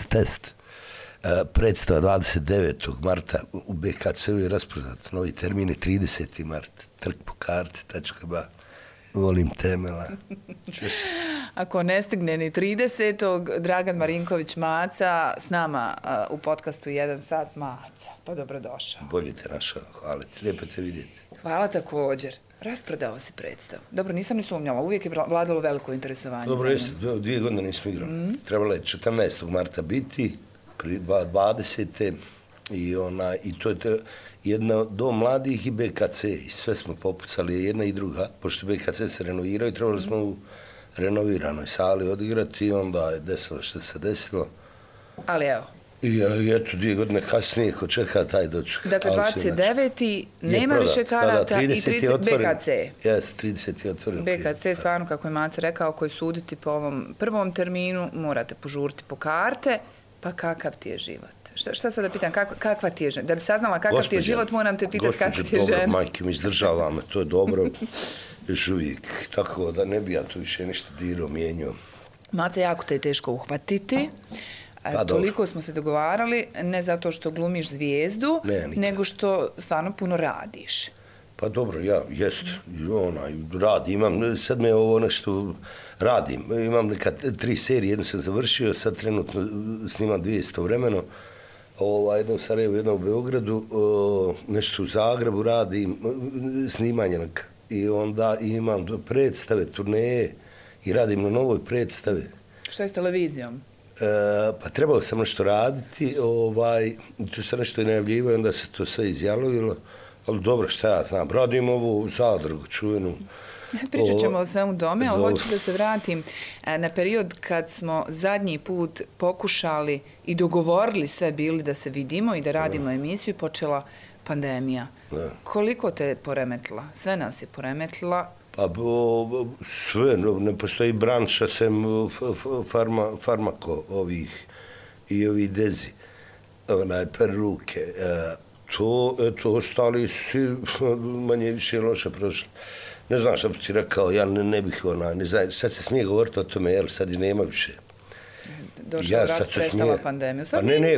test. Predstava 29. marta u BKC-u je rasprodat. Novi termin je 30. mart. Trk po karti.ba. Volim temela. Ako ne stigne ni 30. Dragan Marinković Maca s nama u podcastu 1 sat. Maca, pa dobrodošao. Bolje te našao, hvala ti, lijepo te vidjeti. Hvala također. Rasprodao si predstavu. Dobro, nisam ni sumnjala, uvijek je vladalo veliko interesovanje. Dobro, jeste, 2 godine nismo igrali. Trebalo je 14. marta biti, 20. I to je jedna dom mladih i BKC. I sve smo popucali, jedna i druga. Pošto BKC se renovirao i trebali smo u renoviranoj sali odigrati i onda je desilo što se desilo. Ali evo. I eto, 2 godine kasnije, ko čeka taj doček. Dakle, 29. nema više karata i 30. BKC. Jeste, 30. je otvoren. BKC, stvarno, kako je Maca rekao, koji suditi po ovom prvom terminu, morate požuriti po karte, pa kakav ti je život? Šta sad da pitam, kakva ti je žena? Da bi saznala kakav ti je život, moram te pitati kakva ti je žena. Dobro, majke mi izdržava me, to je dobro, još uvijek. Tako da ne bi ja tu više ništa dirao, mijenjao. Maca, jako te je teško uhvatiti. Toliko smo se dogovarali, ne zato što glumiš zvijezdu, nego što stvarno puno radiš. Pa dobro, ja radim, sad me ovo nešto radim. Imam neka 3 serije, jednu sam završio, sad trenutno snimam 2 istovremeno. Jedno u Sarajevu, jedno u Beogradu, nešto u Zagrebu radim, snimanje i onda imam predstave, turneje i radim na novoj predstavi. Šta je s televizijom? Pa trebao sam nešto raditi, tu sam nešto i najavljivao, onda se to sve izjalovilo, ali dobro, šta ja znam, radim ovu zadrugu čuvenu. Pričat ćemo o svemu tome, ali hoću da se vratim na period kad smo zadnji put pokušali i dogovorili sve bili da se vidimo i da radimo emisiju i počela pandemija. Koliko te je poremetila? Sve nas je poremetila. Pa sve, ne postoji branša sem farmako ovih i ovih dezi, peruke. To ostali si manje više loše prošli. Ne znam šta bi ti rekao, ja ne bih ne znam, sad se smije govoriti o tome, jer sad i nema više. Došao rat, prestala pandemija.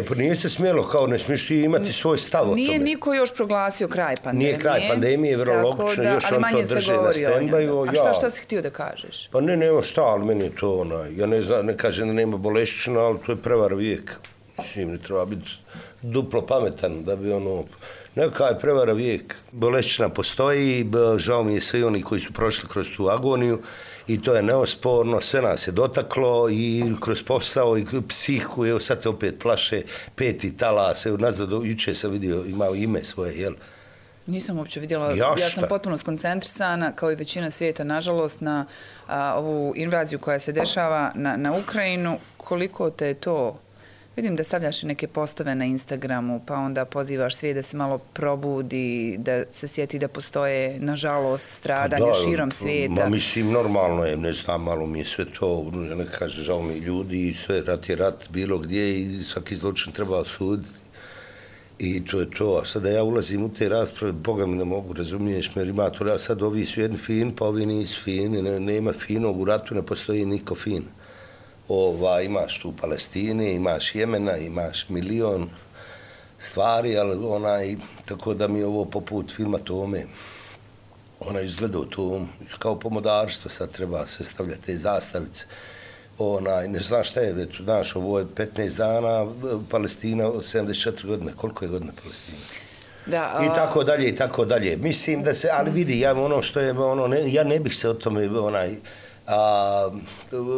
Pa nije se smjelo, kao ne smiješ ti imati svoj stav o tome. Nije niko još proglasio kraj pandemije. Nije kraj pandemije, vrlo logično, još on to drže na stand-byu. A šta si htio da kažeš? Pa nema šta, ali meni je to ja ne kažem da nema bolešćina, ali to je prevara vijeka. Mislim, ne treba biti duplo pametan da bi neka je prevara vijeka. Bolešćina postoji, žao mi je svi oni koji su prošli kroz tu agoniju i to je neosporno, sve nas je dotaklo i kroz posao i psihu, evo sad te opet plaše, 5. talas, evo nazad, juče sam vidio, imao ime svoje, jel? Nisam uopće vidjela, ja sam potpuno skoncentrisana, kao i većina svijeta, nažalost, na ovu invaziju koja se dešava na Ukrajinu. Koliko te je to? Vidim da stavljaš i neke postove na Instagramu, pa onda pozivaš svijet da se malo probudi, da se sjeti da postoje, nažalost, stradanja širom svijeta. Mislim, normalno je, ne znam, malo mi je sve to, ne kaže, žao mi ljudi i sve, rat je rat, bilo gdje i svaki zločin treba osuditi. I to je to, a sada ja ulazim u te rasprave, Boga mi ne mogu, razumiješ, jer ima to, sad ovi su jedni fin, pa ovi nisu fini, nema finog, u ratu ne postoji niko fin. Imaš tu Palestine, imaš Jemena, imaš milion stvari, ali tako da mi ovo poput filma Tome, izgleda to kao pomodarstvo, sad treba sve stavljati te zastavice. Ne znaš šta je, znaš, ovo je 15 dana, Palestina od 74 godine, koliko je godina Palestina? Da, i tako dalje, i tako dalje. Mislim da se, ali vidi, ja ja ne bih se o tome,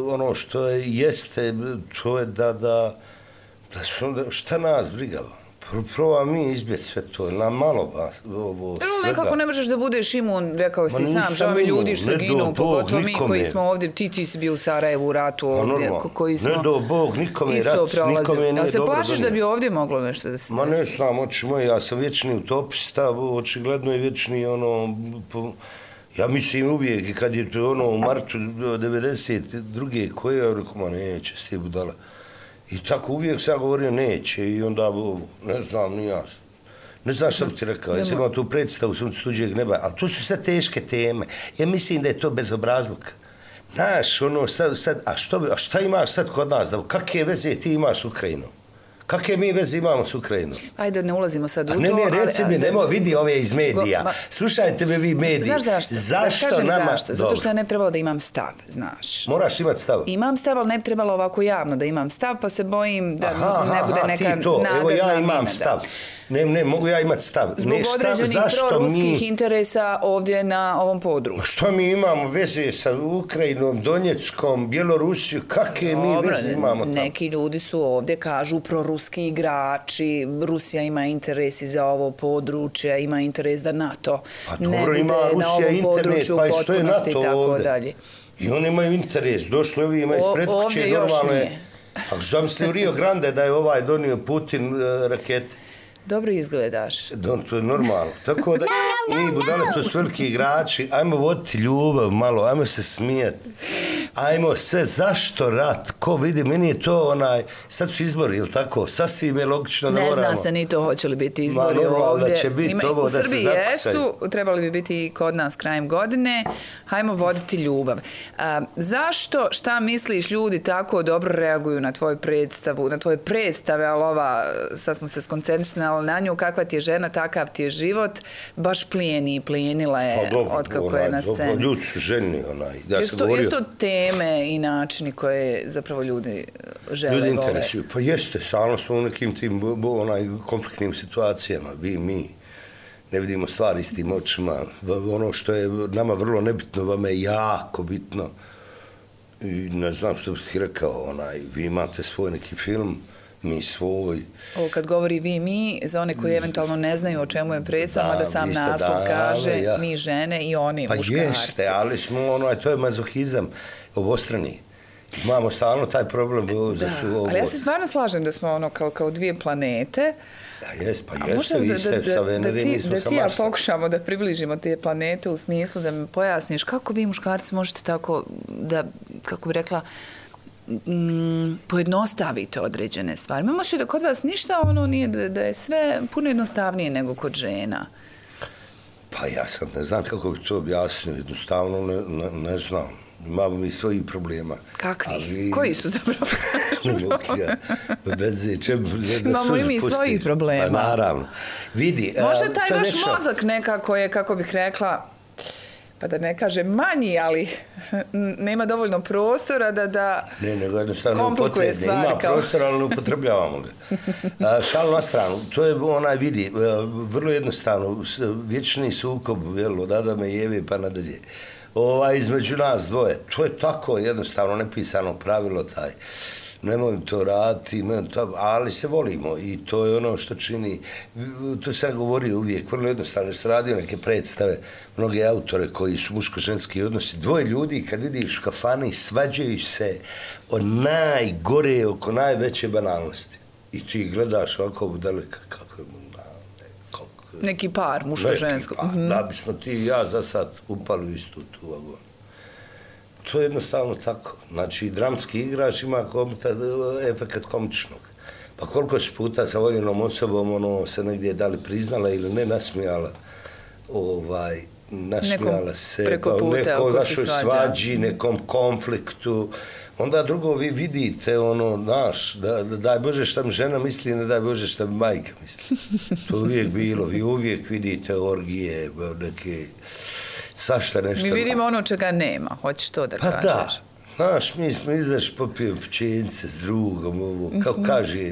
ono što jeste, to je da šta nas brigava? Prvo mi izbjeći sve to, nam malo ovo svega. Nekako ne možeš da budeš imun, rekao si sam, žao mi ljudi što ginu, pogotovo mi koji smo ovdje, ti si bio u Sarajevu u ratu ovdje, koji smo ne do Bog, nikome je rat, nikome nije dobro. Ali se plašiš da bi ovdje moglo nešto da se desi? Ma ne znam, oči moji, ja sam vječni utopista, očigledno i vječni ja mislim uvijek i kad je to u martu 92. koje, ja rekao, ma neće, s te budala. I tako uvijek sam govorio neće i onda, ne znam, ni ja. Ne znam što bi ti rekao, ja sam imao tu predstavu Sunce tuđeg neba, ali to su sve teške teme. Ja mislim da je to bezobrazluk. Znaš, ono, sad, a šta imaš sad kod nas? Kakve veze ti imaš s Ukrajinom? Kakve mi veze imamo s Ukrajinom? Ajde, ne ulazimo sad u to. Ne, reci mi, nemoj, vidi ove iz medija. Slušajte me vi mediji. Znaš zašto? Zašto nama? Zašto? Zato što ja ne bi trebalo da imam stav, znaš. Moraš imati stav. Imam stav, ali ne bi trebalo ovako javno da imam stav, pa se bojim da ne bude neka nada znamena. Evo ja imam stav. Ne, mogu ja imati stav. Zbog određenih proruskih interesa ovdje na ovom području. Što mi imamo veze sa Ukrajinom, Donjeckom, Bjelorusijom? Kakve mi veze imamo tamo? Neki ljudi su ovdje, kažu, proruski igrači, Rusija ima interes i za ovo područje, ima interes da NATO ne bude na ovom području u potpunosti i tako dalje. I oni imaju interes. Došli ovi ima ispred kuće, normalno je. Ako su zamislili u Rio Grande da je donio Putin rakete. Dobro izgledaš. To je normalno. Tako da mi budale, to su veliki igrači, ajmo voditi ljubav malo, ajmo se smijeti. Ajmo sve, zašto rat? Ko vidi, meni je to sad su izbori, ili tako? Sasvim je logično da moramo. Ne zna se ni to hoće li biti izbori ovdje. Da će biti ovo da se zakucaju. U Srbiji jesu, trebali bi biti i kod nas krajem godine. Hajmo voditi ljubav. Zašto, šta misliš, ljudi tako dobro reaguju na tvoju predstavu, na tvoje predstave, ali sad smo se skoncentrisali na nju, kakva ti je žena, takav ti je život, baš plijenila je otkako je na sceni. Ljudi su željni, Jesu to teme i načini koje zapravo ljudi žele, ljudi interesuju. Pa jeste, stalno smo u nekim tim konfliktnim situacijama, vi, mi. Ne vidimo stvari s tim očima. Ono što je nama vrlo nebitno, vama je jako bitno. I ne znam što bih ti rekao, vi imate svoj neki film, mi svoj. Ovo kad govori vi, mi, za one koji eventualno ne znaju o čemu je predstava, da sam naslov kaže, mi žene i oni muškarci. Pa jeste, ali smo, to je mazohizam obostrani. Imamo stalno taj problem. Ali ja se stvarno slažem da smo kao dvije planete. Pa jeste, vi ste sa Venere, mi smo sa Marsa. Da ti ja pokušamo da približimo te planete u smislu da mi pojasniš kako vi muškarci možete tako da, kako bi rekla, pojednostavite određene stvari. Možeš da kod vas ništa nije da je sve puno jednostavnije nego kod žena. Pa ja sad ne znam kako bi to objasnio, jednostavno ne znam. Imamo mi svojih problema. Kakvi? Koji su zapravo? Imamo i mi svojih problema. Pa naravno. Vidi. Možda taj vaš mozak nekako je, kako bih rekla, pa da ne kažem manji, ali nema dovoljno prostora da komplikuje stvari. Ima prostora, ali ne upotrebljavamo ga. Šal na stranu, to je vidi, vrlo jednostavno, vječni sukob od Adama i Eve pa nadalje. Između nas dvoje, to je tako jednostavno nepisano pravilo taj. Nemoj to raditi, ali se volimo i to je ono što čini, to sam govorio uvijek, vrlo jednostavno, jer sam radio neke predstave, mnoge autore koji su muško-ženski odnosi, dvoje ljudi kad vidiš u kafani svađaju se o najgore, oko najveće banalnosti. I ti gledaš ovako daleka kako je neki par, muško-žensko. Da bismo ti i ja za sad upali u istu tu vagonu. To je jednostavno tako. Znači, dramski igrač ima efekt komičnog. Pa koliko si puta sa voljenom osobom se negdje da li priznala ili ne nasmijala, nasmijala se nekoj vašoj svađi, nekom konfliktu. Onda drugo vi vidite, daj Bože šta mi žena misli, ne daj Bože šta mi majka misli. To uvijek bilo. Vi uvijek vidite orgije, neke, svašta nešto. Mi vidimo ono čega nema, hoćeš to da kažeš. Pa da. Znaš, mi smo popio pčenice s drugom, kao kaže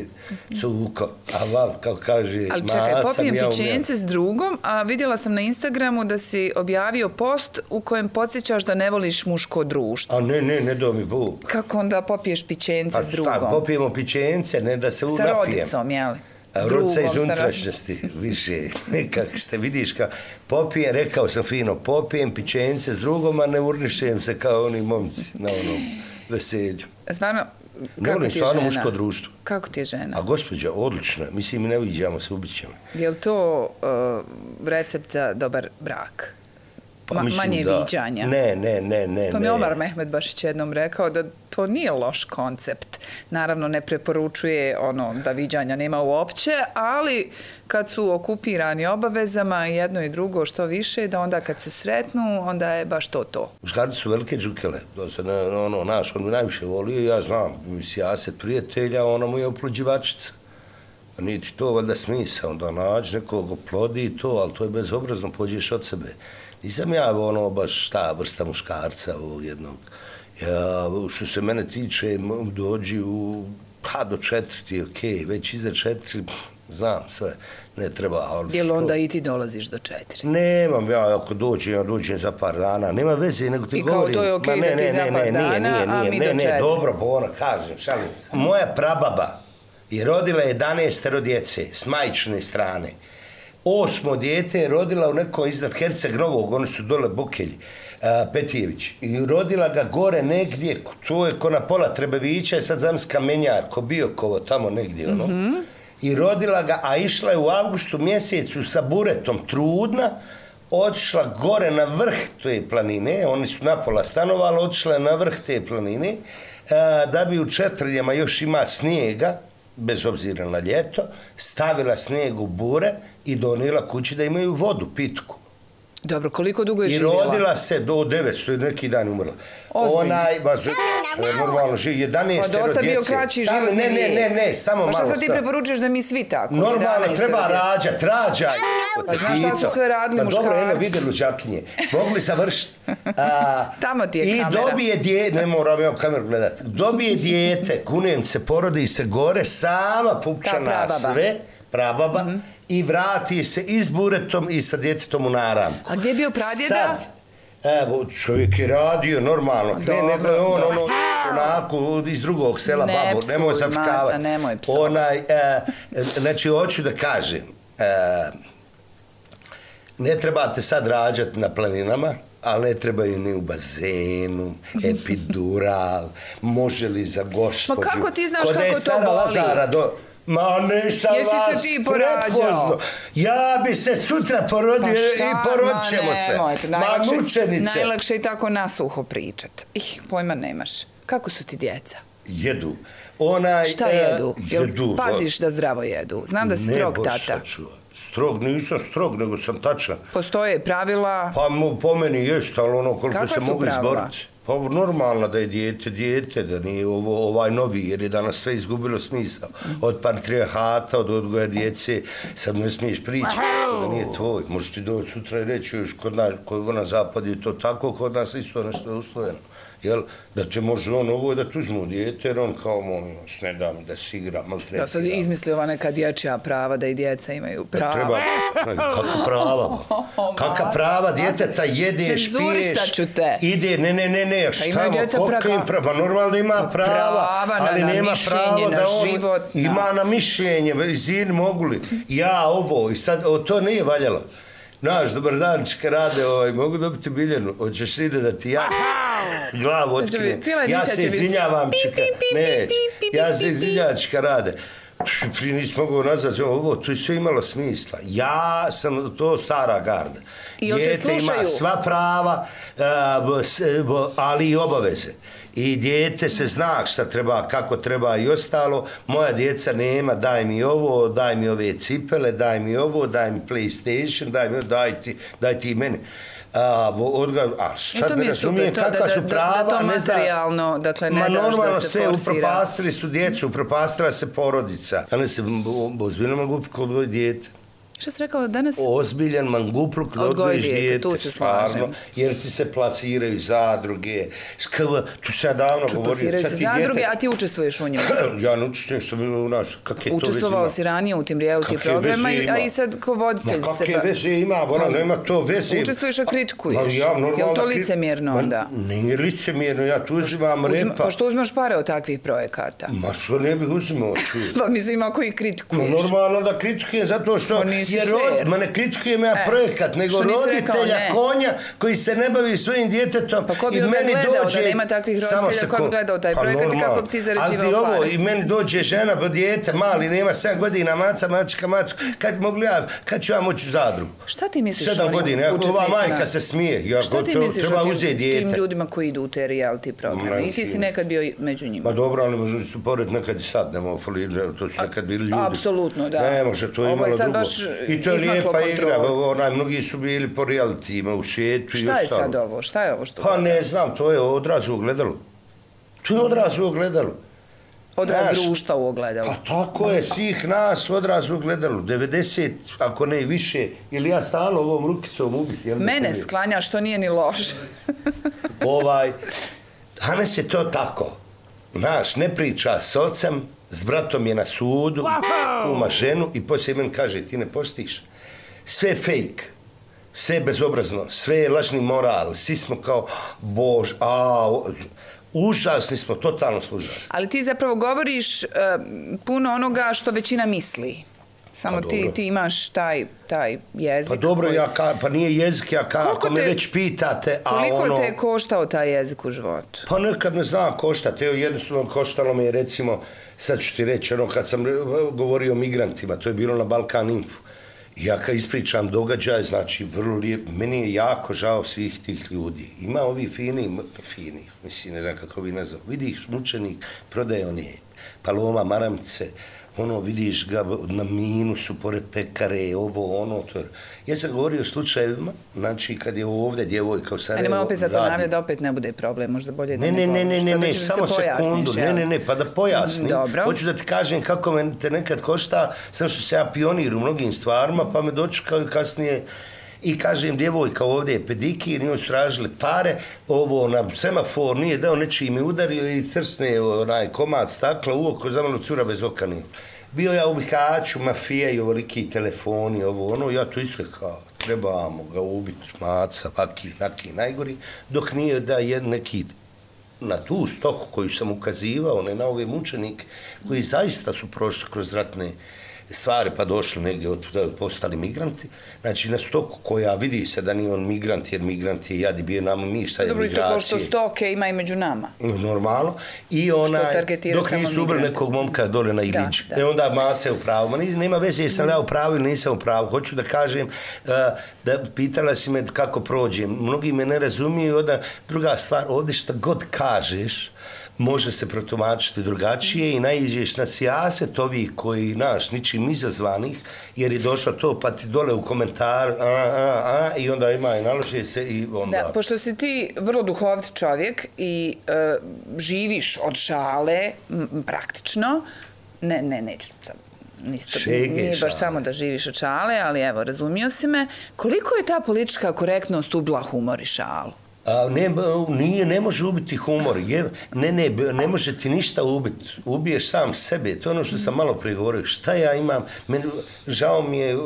Cuko, a vav, kao kaže Maca. Ali čekaj, popijem pčenice s drugom, a vidjela sam na Instagramu da si objavio post u kojem podsjećaš da ne voliš muško društvo. A ne do mi Bog. Kako onda popiješ pčenice s drugom? Pa popijemo pčenice, ne da se napijem. Sa rodicom, jeli? Rodca iz unutrašnjosti, više, nekako ste vidiš popijem, rekao sam fino, popijem pčenice s drugom, a ne urnišem se kao oni momci na onom veselju. Stvarno, kako ti je stvarno muško društvo. Kako ti je žena? A gospođa, odlična, mislim, ne viđamo se, ubit ćemo. Je li to recept za dobar brak? Manje viđanja? Ne. To mi je Omar Mehmed Bašić jednom rekao, da to nije loš koncept. Naravno, ne preporučuje da viđanja nema uopće, ali kad su okupirani obavezama, jedno i drugo što više, da onda kad se sretnu, onda je baš to. Muškarci su velike džukele. To se naš, on mi najviše volio, ja znam, sijaset prijatelja, ona mu je oplođivačica. Niti to valjda smisa, onda nađi nekog oplodi to, ali to je bezobrazno, pođeš od sebe. Nisam ja baš ta vrsta muškarca ovog jednog. Što se mene tiče, dođi do 4 ti okej, već iza 4, znam sve, ne treba. Jel onda i ti dolaziš do 4? Nemam, ja ako dođem za par dana, nema veze, nego ti govorim. I kao to je okej da ti za par dana, a mi do 4. Ne, dobro, Bona, kažem, šalim se. Moja prababa je rodila 11 djece s majčine strane. 8 dijete je rodila u neko iznad Herceg Novog, oni su dole Bokelji, Petijević. I rodila ga gore negdje, to je ko na pola Trebevića, je sad zamisli Kamenjar, ko Biokovo, tamo negdje, I rodila ga, a išla je u avgustu mjesecu sa buretom trudna, otišla gore na vrh te planine, oni su napola stanovali, otišla je na vrh te planine, da bi u Četrljama još ima snijega, bez obzira na ljeto, stavila snijeg u bure i donijela kući da imaju vodu, pitku. Dobro, koliko dugo je živjela? I rodila se do 900, neki dan umrla. Normalno živi, 11 djece. Pa dosta bio kraći život. Ne, samo malo. Pa šta sad ti preporučuješ da mi svi tako? Normalno, treba rađaj. Pa znaš šta su sve radili muškarci? Dobro, eno vide luđakinje. Mogli savršiti. Tamo ti je kamera. I dobije dijete, ne moram ja kameru gledati, dobije dijete, kunem se, porodi se gore, sama pupčana sve, prababa, i vrati se i s buretom i sa djetetom u naramku. A gdje je bio pradjeda? Sad, evo, čovjek je radio normalno, nego je onako iz drugog sela Babo, nemoj zapkavati. Nemoj psovati. Znači, hoću da kažem, ne trebate sad rađati na planinama, ali ne trebaju ni u bazenu, epidural, može li za gospođu. Ma kako ti znaš kako to boli? Ma nisam vas prepoznao. Ja bi se sutra porodio i porodit ćemo se. Ma mučenice. Najlakše je tako nasuho pričat. Pojma nemaš. Kako su ti djeca? Jedu. Šta jedu? Paziš da zdravo jedu? Znam da si strog tata. Strog, nisam strog, nego sam tačan. Postoje pravila? Pa po meni jest, ali koliko se mogu izboriti. Pa normalno da je dijete, da nije ovaj novi, jer je danas sve izgubilo smisao. Od patrijarhata, od odgoja djece, sad ne smiješ pričati, da nije tvoj. Možeš ti doći sutra i reći, još kod na zapadu je to tako, kod nas isto nešto je usvojeno. Jel, da te može ovo da tu uzmu dijete, jer on kao ne da mi da si igra, maltretira. Da sad izmisli ova neka dječja prava, da i djeca imaju prava. Treba, kakva prava? Kakva prava djeteta jede, špiješ, cenzurisat ću te. Ide, ne, koliko im prava? Normalno ima prava, ali nema pravo da on ima na mišljenje, izvini, mogu li? Ja ovo, i sad, to nije valjalo. Naš, dobar dan, čeka rade, mogu dobiti Biljanu, hoćeš ide da ti ja glavu otkrijem. Ja se izvinjavam, čeka, ne, ja se izvinjavam, čeka rade. Prije nisi mogao nazvati ovo, to je sve imalo smisla. Ja sam to stara garda. Dijete ima sva prava, ali i obaveze. I dijete se zna šta treba, kako treba i ostalo. Moja djeca nema, daj mi ovo, daj mi ove cipele, daj mi ovo, daj mi PlayStation, daj ti meni. Sad me razumije kakva su prava. Da to materijalno, dakle, ne daš da se forsira. Normalno sve, upropastili su djecu, upropastila se porodica. Danas se ozbiljan mangupluk odgoji dijete. Šta si rekao danas? Ozbiljan mangupluk odgojiš dijete, tu se slažem. Jer ti se plasiraju zadruge. Tu se ja davno govorio. Plasiraju se zadruge, a ti učestvuješ u njima? Ja ne učestvujem što bi u naš, kak je to već ima. Učestvovao si ranije u tim reality programima, a i sad ko voditelj se... Kakve veze ima, nema to veze. Učestvuješ, a kritikuješ. Je li to licemjerno onda? Nije licemjerno, ja tu uzimam repa. Pa što uzmeš pare od takvih projekata? Ma što ne bih uzimao? Pa mislim, ako ih kritikuješ. Normalno da kritikujem zato što fair. Ma ne kritikujem ja projekat, nego roditelja konja koji se ne bavi svojim djetetom. Pa ko bi onda gledao da nema takvih roditelja, ko bi gledao taj projekat i kako bi ti zarađivao pare? I meni dođe žena, djete mali, nema 7 godina, mačka, kad ću ja moći u zadrugu? Šta ti misliš o 7 godina, ova majka se smije. Šta ti misliš o tim ljudima koji idu u te reality programe? I ti si nekad bio među njima. Ma dobro, ali možda su pored nekad i sad, nema folirati, to su nekad bili ljudi. Apsolutno, da. Ne može, to je imalo drugo. I to je lijepa igra, mnogi su bili po realitima u svijetu i ostalo. Šta je sad ovo? Šta je ovo što... Pa ne znam, to je odraz u ogledalu. To je odraz u ogledalu. Odraz društva u ogledalu. Pa tako je, svih nas odraz u ogledalu. 90, ako ne i više, ili ja stalno ovom rukicom ubih. Mene sklanja, što nije ni loše. Danas je to tako. Znaš, ne priča s ocem, s bratom je na sudu, kuma ženu i poslije meni kaže, ti ne postiš. Sve je fake, sve je bezobrazno, sve je lažni moral, svi smo kao, bož, užasni smo, totalno smo užasni. Ali ti zapravo govoriš puno onoga što većina misli. Samo ti imaš taj jezik. Pa dobro, pa nije jezik, ako me već pitate, koliko te je koštao taj jezik u životu? Pa nekad ne znam koštati. Evo, jednostavno koštalo me je, recimo, sad ću ti reći, kad sam govorio o migrantima, to je bilo na Balkan Info. Ja kad ispričam događaj, znači, vrlo lijep, meni je jako žao svih tih ljudi. Ima ovi fini, mislim, ne znam kako bi nazvao, vidiš, mučenik, prodaje one paloma, maramice, vidiš ga na minusu, pored pekare, to. Ja sam govorio o slučajevima, znači kad je ovdje djevojka u Sarajevo... Nemoj opet sad ponavljati da opet ne bude problem, možda bolje da ne govoriš. Ne, samo sekundu, pa da pojasnim. Dobro. Hoću da ti kažem kako me te nekad košta, sam što se ja pionir u mnogim stvarima, pa me dočekao kasnije i kažem, djevojka ovdje je pedikir, njoj su tražili pare, na semafor nije dao, nečiji mi udario i crsne komad stakla u oko, za malo cura bez oka nije. Bio ja u Bihaću, mafija i ovoliki telefoni, ja to isto kao, trebamo ga ubiti, maca, vaki, najgori, dok nije da je neki na tu stoku koju sam ukazivao, ne na ove mučenike, koji zaista su prošli kroz ratne stvari pa došli negdje postali migranti. Znači na stoku koja vidi se da nije on migrant, jer migrant je jadi bio nama mi, šta je migracije. Dobro, isto kao što stoke ima i među nama. Normalno. I dok nisu ubrali nekog momka dole na Ilić. Onda mace u pravu. Nema veze jesam ja u pravu ili nisam u pravu. Hoću da kažem, da pitala si me kako prođem. Mnogi me ne razumiju. Onda druga stvar, ovdje šta god kažeš, može se protumačiti drugačije i naiđeš na sijaset ovih koji, ničim izazvanih, jer je došlo to pa ti dole u komentaru i onda ima i nalože se i onda... Da, pošto si ti vrlo duhovit čovjek i živiš od šale praktično, neću sad, nije baš samo da živiš od šale, ali evo, razumio si me, koliko je ta politička korektnost ubila humor i šalu? Ne može ubiti humor. Ne može ti ništa ubiti. Ubiješ sam sebe. To je ono što sam malo prije govorio. Šta ja imam? Žao mi je,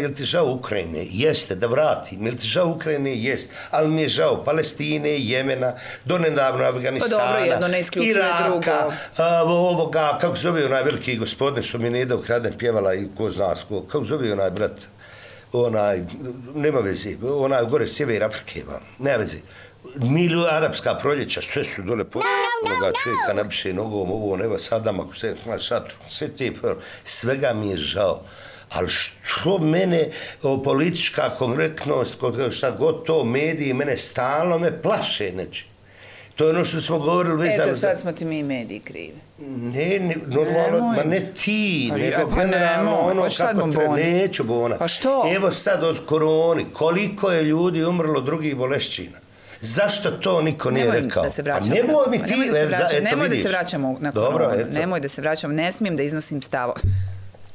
jel ti žao Ukrajine? Jeste, da vratim. Jel ti žao Ukrajine? Jeste. Ali mi je žao Palestine, Jemena, donedavno Afganistana, pa dobro, jedno ne isključuje drugo. Ovoga, kako zove onaj veliki gospodin što mi ne ide ukraden pjevala i ko zna sko. Kako zove onaj brat? Nema veze, gore sjever Afrike, nema veze. Arapska proljeća, sve su dole onoga čovjeka napiše nogom, evo Sadam, ako se na šatru, sve te, svega mi je žao. Ali što mene, politička korektnost, šta god to, mediji, mene stalno me plaše neći. To je ono što smo govorili vezano za... Eto, sad smo ti mi mediji krivi. Ne, normalno, ma ne ti, nego generalno ono kako treba, neću Bona. Pa što? Evo sad od koroni, koliko je ljudi umrlo drugih bolešćina. Zašto to niko nije rekao? Nemoj mi ti, nemoj da se vraćamo na koronu, nemoj da se vraćamo, ne smijem da iznosim stavo.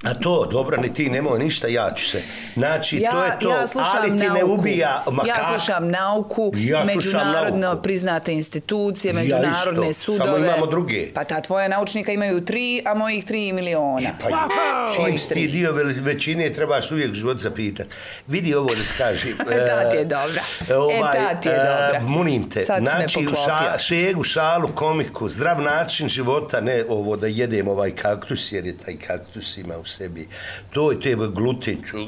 A to, dobro, ni ti, nemoj ništa, ja ću se. Znači, to je to, ali ti ne ubija makak. Ja slušam nauku, međunarodno priznate institucije, međunarodne sudove. Samo imamo druge. Pa ta tvoja naučnika imaju 3, a mojih 3 miliona. Čim si ti dio većine, trebaš uvijek život zapitati. Vidi ovo da ti kažem. Ta ti je dobra. Ta ti je dobra. Munim te. Znači, šegu, šalu, komiku, zdrav način života, ne ovo da jedem ovaj kaktus, jer je taj kaktus ima u sebi. To je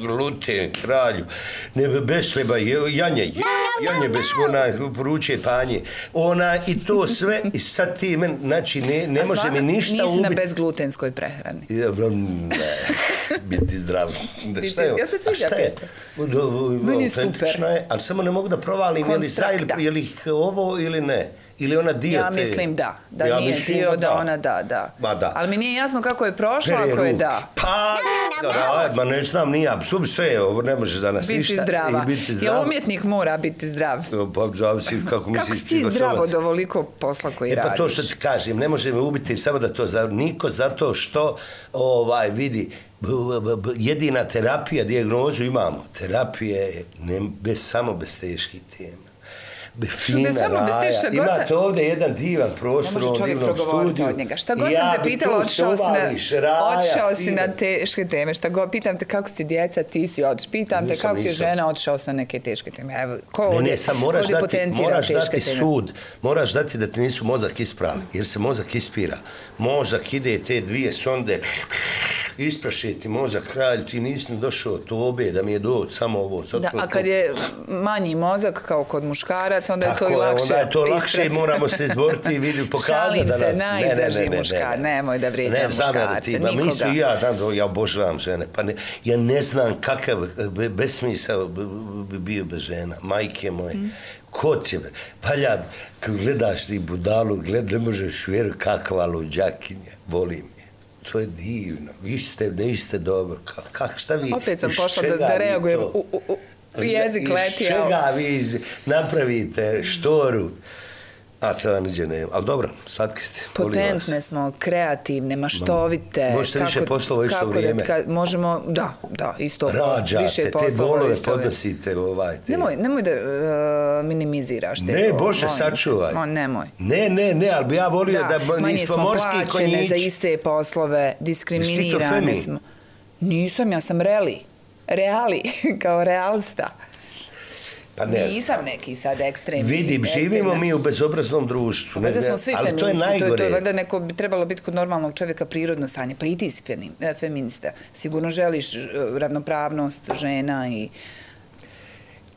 gluten, kralju, bez hleba, janje bez poručuje panje. I to sve, i sad ti men, znači ne može mi ništa ubiti. Nisi na bezglutenskoj prehrani? Ne, biti zdrav. Šta je? Jel se sviđa pesma? Meni je super. Ali samo ne mogu da provalim je li ovo ili ne. Ili ona dio ja mislim da nije dio da ona da. Ali mi nije jasno kako je prošla ako je da. Pa, ne znam, nije, sve ovo ne možeš danas ništa. Biti zdrava. Jel umjetnik mora biti zdrav? Pa, zavisi kako misliš. Kako si ti zdrav od ovoliko posla koji radiš? Pa to što ti kažem, ne može me ubiti samo da to niko zato što vidi, jedina terapija, dijagnozu imamo. Terapija je samo bez teških tema. Fina raja. Imate ovdje jedan divan prostor u divnom studiju. Šta god sam te pitala, odšao si na teške teme. Šta god, pitam te kako si ti djeca, ti si odšao. Pitam te kako ti je žena, odšao si na neke teške teme. Ne, sam moraš dati sud. Moraš dati da ti nisu mozak isprali, jer se mozak ispira. Mozak ide te dvije sonde, isprašiti mozak, kralj, ti nisam došao tobe da mi je doći samo ovo. A kad je manji mozak kao kod muškaraca, onda je to i lakše. Onda je to lakše, moramo se izboriti i pokazati da nas... Šalim se, najdrži muškar, nemoj da vrijeđa muškarce, nikoga. Ja obožavam žene, ja ne znam kakav besmisao bi bio bez žena, majke moje. Ko će, valja, gledaš ti budalu, ne možeš vjerovati kakva luđakinja, volim je. To je divno, vi niste dobro, šta vi... Opet sam pošla da reagujem jezik letio. Iz čega vi napravite štoru, a to niđe nema. Ali dobro, slatki ste. Potentne smo, kreativne, maštovite. Možete više poslova u isto vrijeme. Možemo, da, isto. Rađate, te bolove podnosite. Nemoj da minimiziraš te. Ne, Bože, sačuvaj. Nemoj. Ne, ali bi ja volio da nismo morski konjići. Manje smo plaćene za iste poslove, diskriminirane smo. Nisam, ja sam reali, kao realista. Pa ne znam. Nisam neki sad ekstremni. Vidim, živimo mi u bezobraznom društvu. Valjda smo svi feministi, to je valjda neko bi trebalo biti kod normalnog čovjeka prirodno stanje. Pa i ti si feminista. Sigurno želiš ravnopravnost žena i...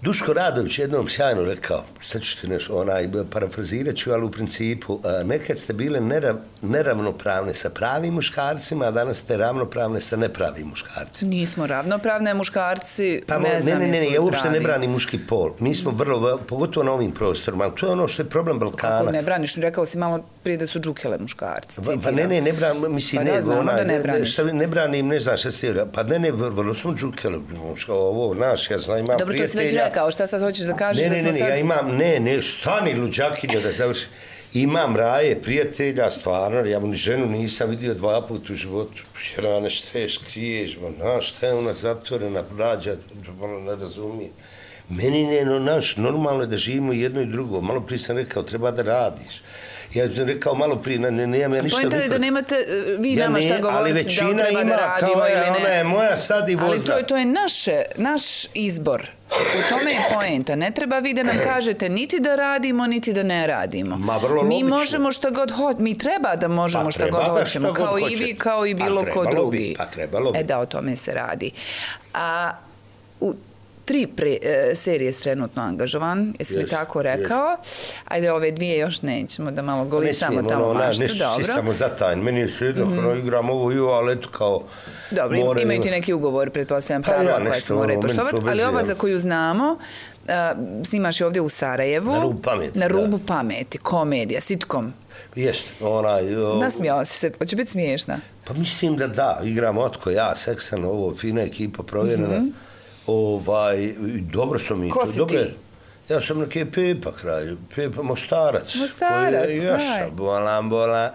Duško Radović jednom sjajno rekao, sad ću ti nešto, parafrazirat ću, ali u principu, nekad ste bile neravnopravne sa pravim muškarcima, a danas ste ravnopravne sa nepravim muškarcima. Nismo ravnopravne, muškarci ne znam jesu li pravi. Ne, ja uopšte ne branim muški pol. Mi smo vrlo, pogotovo na ovim prostorima, ali to je ono što je problem Balkana. Kako ne braniš? Rekao si malo prije da su džukele muškarci. Pa ne branim, mislim, ne, znamo da ne braniš. Ne branim, ne znam šta se... Pa ne, vrlo smo džukele, ovo, naš, ja znam, imam prijatelja. Dobro, to si već rekao, šta sad hoćeš da kažeš da smo sad... Ja imam, stani luđakinjo da završi. Imam raje, prijatelja, stvarno, ja mu ni ženu nisam vidio 2 puta u životu. Jer ona šta je skriješ, šta je ona zatvorena, rađa, ne razumije. Meni normalno je da živimo jedno i drugo. Malo prije sam rekao, treba da radiš. Ja sam rekao malo prije, nemam ja ništa... Pojenta je da nemate vi nama šta govoriti, da li treba da radimo ili ne. Ona je moja sad i vozda. Ali to je naš izbor. U tome je poenta. Ne treba vi da nam kažete niti da radimo, niti da ne radimo. Mi možemo šta god hoćemo. Mi treba da možemo šta god hoćemo. Kao i vi, kao i bilo ko drugi. Pa trebalo bi. Da, o tome se radi. A u 3 serije trenutno angažovan, jesi mi tako rekao? Ajde, ove 2 još nećemo da malo golicamo tamo maštu. Nešto si samo zatajn. Meni je sve jedno, igram ovo ali eto kao... Dobro, imaju ti neki ugovor, pretpostavljam, pravila koje se moraju poštovati, ali ova za koju znamo, snimaš je ovdje u Sarajevu. Na rubu pameti. Na rubu pameti, komedija, sitcom. Jeste, Nasmijao si se, hoće biti smiješna? Pa mislim da, igram Otko, ja, Seksan, ovo, fina ekipa, provjerena. Dobro su mi. Ko si ti? Ja sam neki Pepa kralj, Pepa Mostarac. Mostarac, daj. Bola.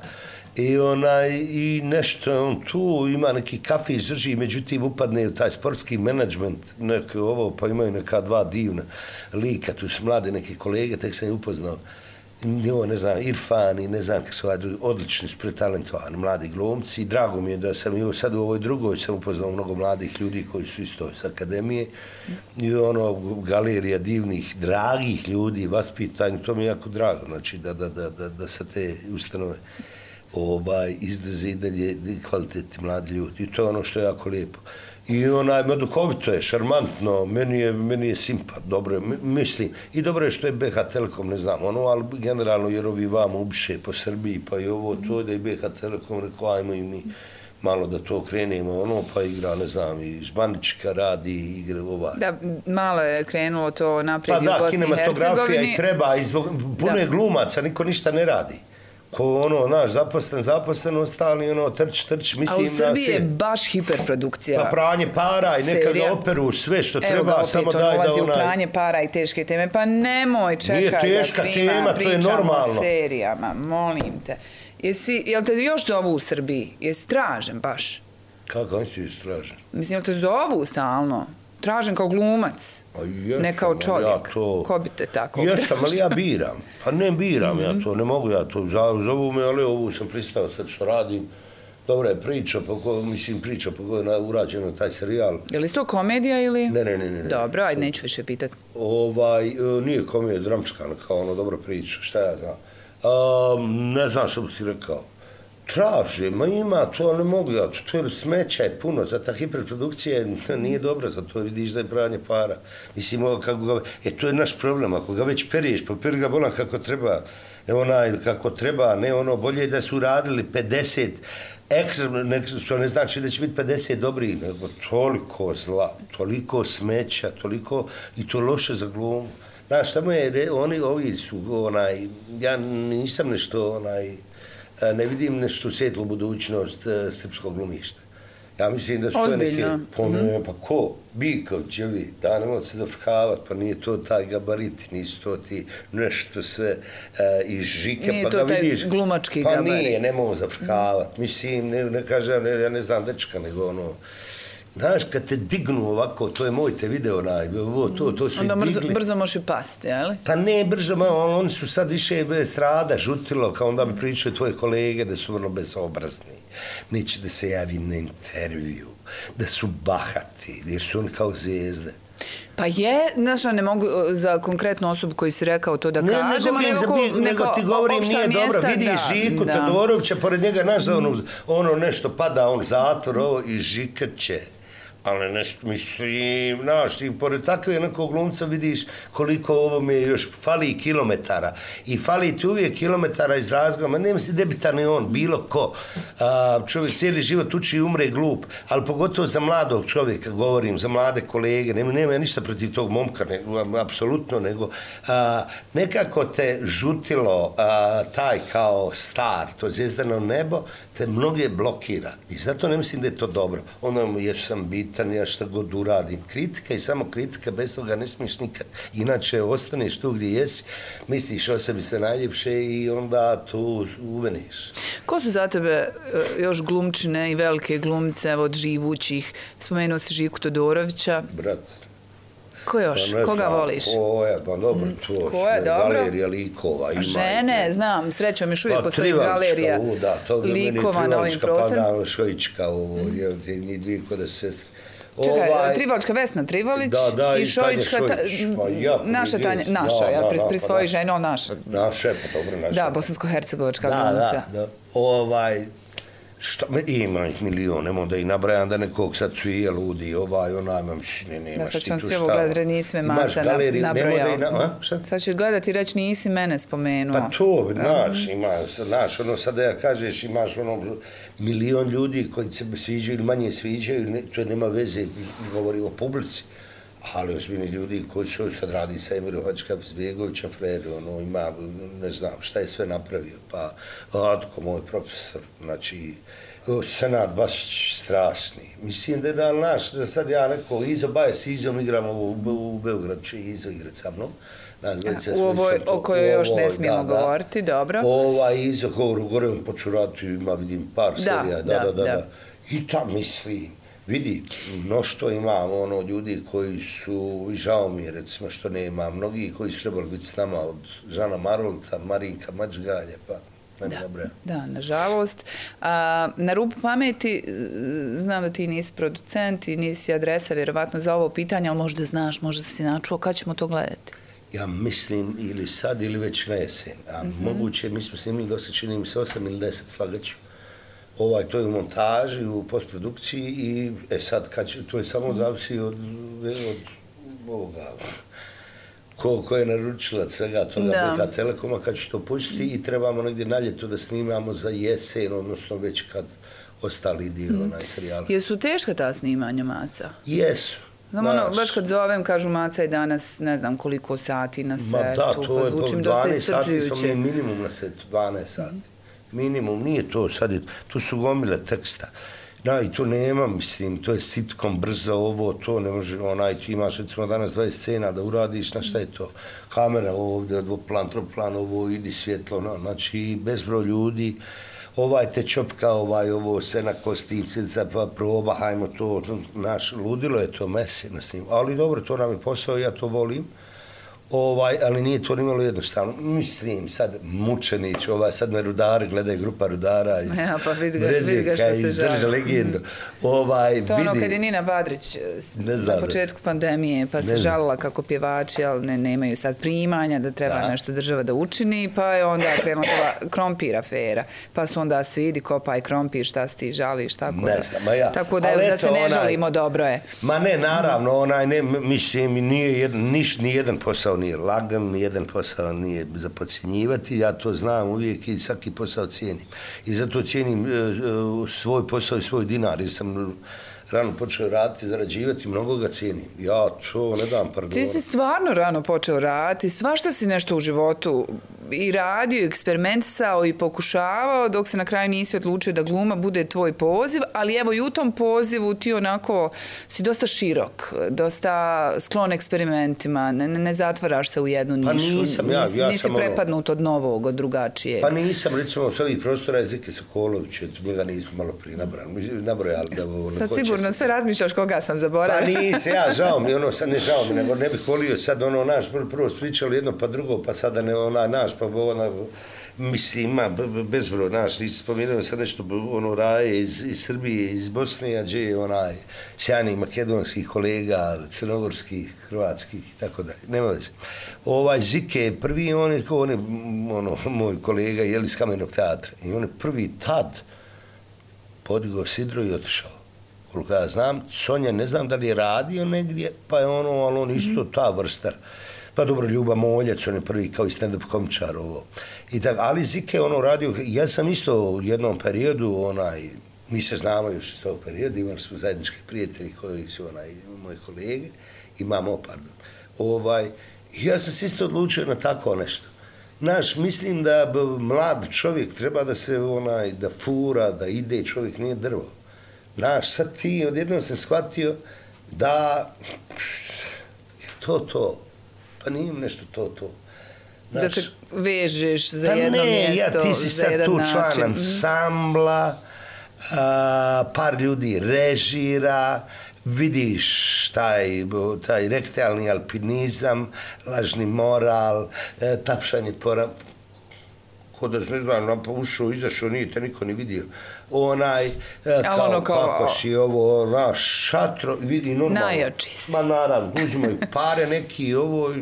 I nešto on tu ima neki kafić drži, međutim upadne u taj sportski menadžment, pa imaju neka 2 divna lika, tu su mlade neke kolege, tek sam je upoznao. Ne znam, Irfan i ne znam kako su odlični, pretalentovani mladi glumci. Drago mi je da sam sad u ovoj drugoj sam upoznao mnogo mladih ljudi koji su isto iz akademije i galerija divnih, dragih ljudi, vaspitanje, to mi je jako drago, znači da sa te ustanove izlaze i dalje kvalitetni mladi ljudi. I to je ono što je jako lijepo. I duhovito je, šarmantno, meni je simpat, dobro je, mislim, i dobro je što je BH Telekom, ne znam, ali generalno jer ovi vam ubiše po Srbiji, pa i ovo to da je BH Telekom rekao, ajmo i mi malo da to krenemo, pa igra, ne znam, i Žbanička radi, igre Da, malo je krenulo to naprijed i u Bosni i Hercegovini. Pa da, kinematografija i treba, puno je glumaca, niko ništa ne radi. Ko naš zaposlen, ostali, trč, mislim... A u Srbiji je baš hiperprodukcija. Pa pranje para i neka ga operu, sve što treba, samo daj da Evo ga opet, on ulazi u pranje para i teške teme, pa nemoj, čekaj da pričamo o serijama, molim te. Jel te još zovu u Srbiji? Jesi tražen baš? Kako si tražen? Mislim, jel te zovu stalno? Tražen kao glumac, ne kao čovjek. Ko bi te tako obražao? Jesam, ali ja biram. Pa ne biram ja to, ne mogu ja to. Zovu me, ali ovu sam pristao sad što radim. Dobra je priča, priča po kojoj je urađeno taj serijal. Je li to komedija ili? Ne. Dobro, ajde, neću više pitati. Nije komedija, dramčka, kao dobra priča, šta ja znam. Ne znam što bi ti rekao. Traže, ima to, ne mogu ja, to je smeća je puno, za ta hiperprodukcija nije dobra, za to vidiš da je pranje para. Mislim, to je naš problem, ako ga već periješ, pa peri ga bolan kako treba, ne bolje je da su radili 50 ekstra, što ne znači da će biti 50 dobrih, nego toliko zla, toliko smeća, toliko, i to loše za glumu. Znaš, tamo je, ovi su, ja nisam nešto, ne vidim nešto svetlu budućnost srpskog glumišta. Ja mislim da su to neke... Pa ko? Bikovićevi, da ne mogu se zafrkavati, pa nije to taj gabarit, nisu to ti nešto sve iz žike, pa ga vidiš... Nije to taj glumački gabarit. Pa nije, ne mogu zafrkavati. Mislim, ne kažem, ja ne znam dečka, nego Znaš, kad te dignu ovako, to je moj te video, to su onda brzo možeš i pasti, jel? Pa ne brzo, oni su sad više strada, žutilo, kao onda mi pričaju tvoje kolege da su vrlo bezobrazni, neće da se javim na intervju, da su bahati, jer su oni kao zvezde. Pa je, znaš, ne mogu za konkretnu osobu koju si rekao to da kažemo, nego ti govorim, nije dobro, vidiš Žiku Todorovića, pored njega, znaš, nešto pada, on zatvor, i Žika će. Ali nešto, mislim, znaš, ti pored takve nekog glumca vidiš koliko ovome još fali kilometara. I fali ti uvijek kilometara iz razgova. Nema si debitan i on, bilo ko. Čovjek cijeli život uči i umre glup. Ali pogotovo za mladog čovjeka, govorim, za mlade kolege. Nema ja ništa protiv tog momka, apsolutno, nego nekako te žutilo taj kao star, to zvijezdano nebo, te mnoge blokira. I zato ne mislim da je to dobro. Ono, jer sam bitan, ja šta god uradim. Kritika i samo kritika, bez toga ne smiješ nikad. Inače, ostaneš tu gdje jesi, misliš o sebi sve najljepše i onda tu uveniš. Ko su za tebe još glumčine i velike glumce od živućih? Spomenuo si Žiku Todorovića. Brat. Ko još? Koga voliš? Pa dobro, to su galerija likova. Žene, znam, srećom još uvijek postoji galerija likova na ovim prostorima. Pa Šojička, njih dvije kod su sestre. Čekaj, Trivalička Vesna Trivalić i Šojička, naša Tanja, naša, prisvoji ženu, ali naša. Naša, pa dobro, naša. Da, bosansko-hercegovačka glumca. Da. Ima ih milion, nemoj da ih nabrajam da nekog sad cvije, ludi, onaj, nemaš ti tu šta. Da, sad ću vam svi ovo gledati, nisi me Maca nabrojao. Sad ćeš gledati i reći nisi mene spomenuo. Pa to, znaš, sad da ja kažeš, imaš milion ljudi koji se sviđaju ili manje sviđaju, to nema veze, govori o publici. Ali ozbiljni ljudi koji su sad radi sa Emirom Hadžikapizbegovićem, Freri, ima, ne znam šta je sve napravio, pa Atko, moj profesor, znači, senat baš strašni. Mislim da sad ja neko Izo Baje s Izom igramo u Beogradu, će Izo igrat sa mnom. U ovoj o kojoj još ne smijemo govoriti, dobro. Izo, gore on poču raditi, ima vidim par serija, da. I tam mislim, vidi, mnoštvo imam ljudi koji su, žao mi je recimo što nema, mnogi koji su trebali biti s nama od Žana Marolta, Marinka Mačgalje, pa Da, nažalost. Na rubu pameti, znam da ti nisi producent i nisi adresa vjerovatno za ovo pitanje, ali možda znaš, možda si načuo, kad ćemo to gledati? Ja mislim ili sad ili već na jesen. A moguće, mi smo snimili dosta, čini mi se 8 ili 10, slagaću. To je u montaži, u postprodukciji i sad to je samo zavisi od ovoga, ko je naručilac svega toga BK Telekoma, kad će to pustiti i trebamo negdje na ljeto da snimamo za jesen, odnosno već kad ostali dio serijala. Jesu teška ta snimanja, Maca? Jesu. Znam, baš kad zovem, kažu Maca je danas ne znam koliko sati na setu, pa zvučim dosta iscrpljujuće. 12 sati smo mi minimum na setu, 12 sati. Minimum, nije to sad, tu su gomile teksta. I to nema, mislim, to je sitkom, brzo ovo, to ne može, ti imaš recimo danas 20 scena da uradiš, na šta je to? Kamera ovdje, dvoplan, troplan, ovo, idi svjetlo, znači bezbroj ljudi, te čopka, ovo, scena kostivcica, pa proba, hajmo to, naš, ludilo je to mesi na snimu, ali dobro, to nam je posao, ja to volim. Ali nije to nimalo jednostavno. Mislim, sad Mučenić, sad me rudari, gledaj grupa rudara iz Brezijeka, izdrža legendu. To ono kad je Nina Badrić na početku pandemije, pa se žalila kako pjevači, ali nemaju sad primanja, da treba nešto država da učini, pa je onda krenula krompir afera. Pa su onda svi, idi kopaj krompir, šta si ti žališ, tako da. Tako da se ne žalimo, dobro je. Ma ne, naravno, mislim, nijedan posao nije lagan, nijedan posao nije za podcjenjivati, ja to znam uvijek i svaki posao cijenim. I zato cijenim svoj posao i svoj dinar, jer sam rano počeo raditi, zarađivati, mnogo ga cijenim. Ja to ne dam par Ti si stvarno rano počeo raditi, svašta si nešto u životu i radio, eksperimentisao i pokušavao, dok se na kraju nisi odlučio da gluma bude tvoj poziv, ali evo i u tom pozivu ti onako si dosta širok, dosta sklon eksperimentima, ne zatvaraš se u jednu nišu, nisi prepadnut od novog, od drugačijeg. Pa nisam, recimo, s ovih prostora je Zike Sokolović, njega nismo malo prije nabrojali. Sad sigurno sve razmišljaš koga sam zaboravila. Pa nisi, žao mi, ne žao mi, nego ne bih volio sad naš, prvo spričali jedno pa drugo, pa sada naš, pa mislim, ima bezbroj, nisi spomenuo sad nešto, raje iz Srbije, iz Bosne, a gdje je sjajnih makedonskih kolega, crnogorskih, hrvatskih i tako dalje, nema veze. Zike je prvi, on je moj kolega, iz Kamenog teatra, i on je prvi tad podigao sidro i otišao. Koliko ja znam, Sonja ne znam da li je radio negdje, pa je ali on isto ta vrstar. Pa dobro, Ljuba Moljac, on je prvi kao i stand-up komičar ovo. Ali Zike radio, ja sam isto u jednom periodu, mi se znamo još iz tog perioda, imali smo zajedničke prijatelji koji su moji kolege, ja sam se isto odlučio na tako nešto. Mislim da mlad čovjek treba da se da fura, da ide, čovjek nije drvo. Sad ti odjednom sam shvatio da je to. Pa nije nešto to. Da se vežeš za jedno mjesto, ti si sad tu član ansambla, par ljudi režira, vidiš taj rektalni alpinizam, lažni moral, tapšanje po ko da ne znam, ušao, izašao, nije te niko ni vidio. Kako si ovo, šatro, vidi normalno. Najjači si. Ma naravno, uzimaju pare neki, ovo,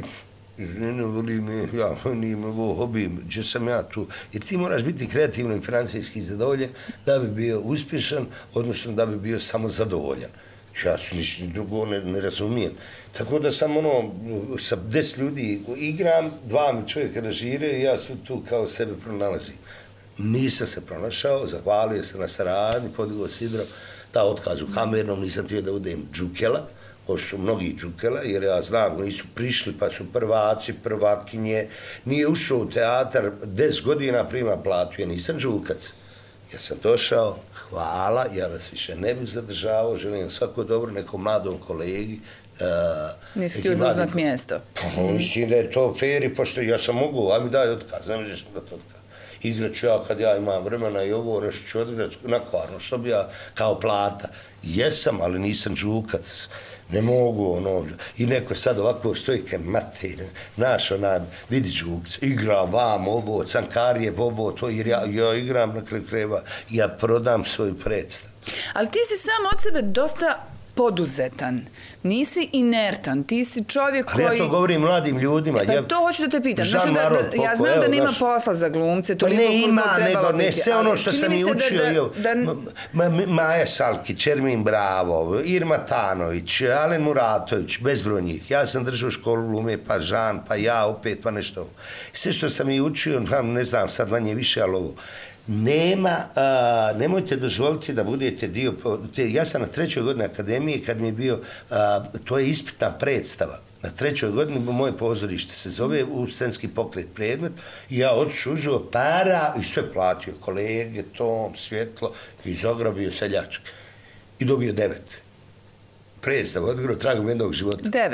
ne voli me, nijem ovo hobi, gdje sam ja tu. Jer ti moraš biti kreativno i financijski zadovoljen da bi bio uspješan, odnosno da bi bio samo zadovoljan. Ja se ništa drugo ne razumijem. Tako da sam sa 10 ljudi igram, 2 mi čovjeka režire i ja su tu kao sebe pronalazim. Nisam se pronašao, zahvalio se na saradnji, podigao sidro, da otkaz u kamernom, nisam htio da budem džukela, ko su mnogi džukela, jer ja znam, nisu prišli pa su prvaci, prvakinje, nije ušao u teatar, 10 godina prima platu, ja nisam džukac. Ja sam došao, hvala, ja vas više ne bih zadržavao, želim svako dobro nekom mladom kolegi. Nisi htio zauzmat mjesto. Pa mislim da je to fair i pošto ja sam mogu, a mi daj otkaz, ne možeš da to otkaz. Igrat ću ja kad ja imam vremena i ovo, nešto ću odigrati na kvarno, što bi ja kao plata. Jesam, ali nisam džukac, ne mogu, i neko sad ovako stojke mater, vidi džukca, igram vam ovo, Cankarijev ovo, to, jer ja igram na kraju krajeva, ja prodam svoju predstavu. Ali ti si sam od sebe dosta poduzetan, nisi inertan, ti si čovjek koji... Ali ja to govorim mladim ljudima. To hoću da te pitam. Ja znam da nema posla za glumce, toliko koliko trebalo biti. Ne, sve ono što sam i učio. Maja Salkić, Ermin Bravo, Irma Tanović, Alen Muratović, bezbroj njih. Ja sam držao školu glume, pa Žan, pa ja opet, pa nešto. Sve što sam i učio, ne znam, sad manje više, ali ovo. Nemojte dozvoliti da budete dio, ja sam na 3. godini akademije kad mi je bio, to je ispitna predstava, na 3. godini moje pozorište se zove u scenski pokret predmet i ja otišao, uzeo para i sve platio, kolege, tom, svjetlo i izograbio seljački i dobio 9. Predstav, odgro tragom jednog života.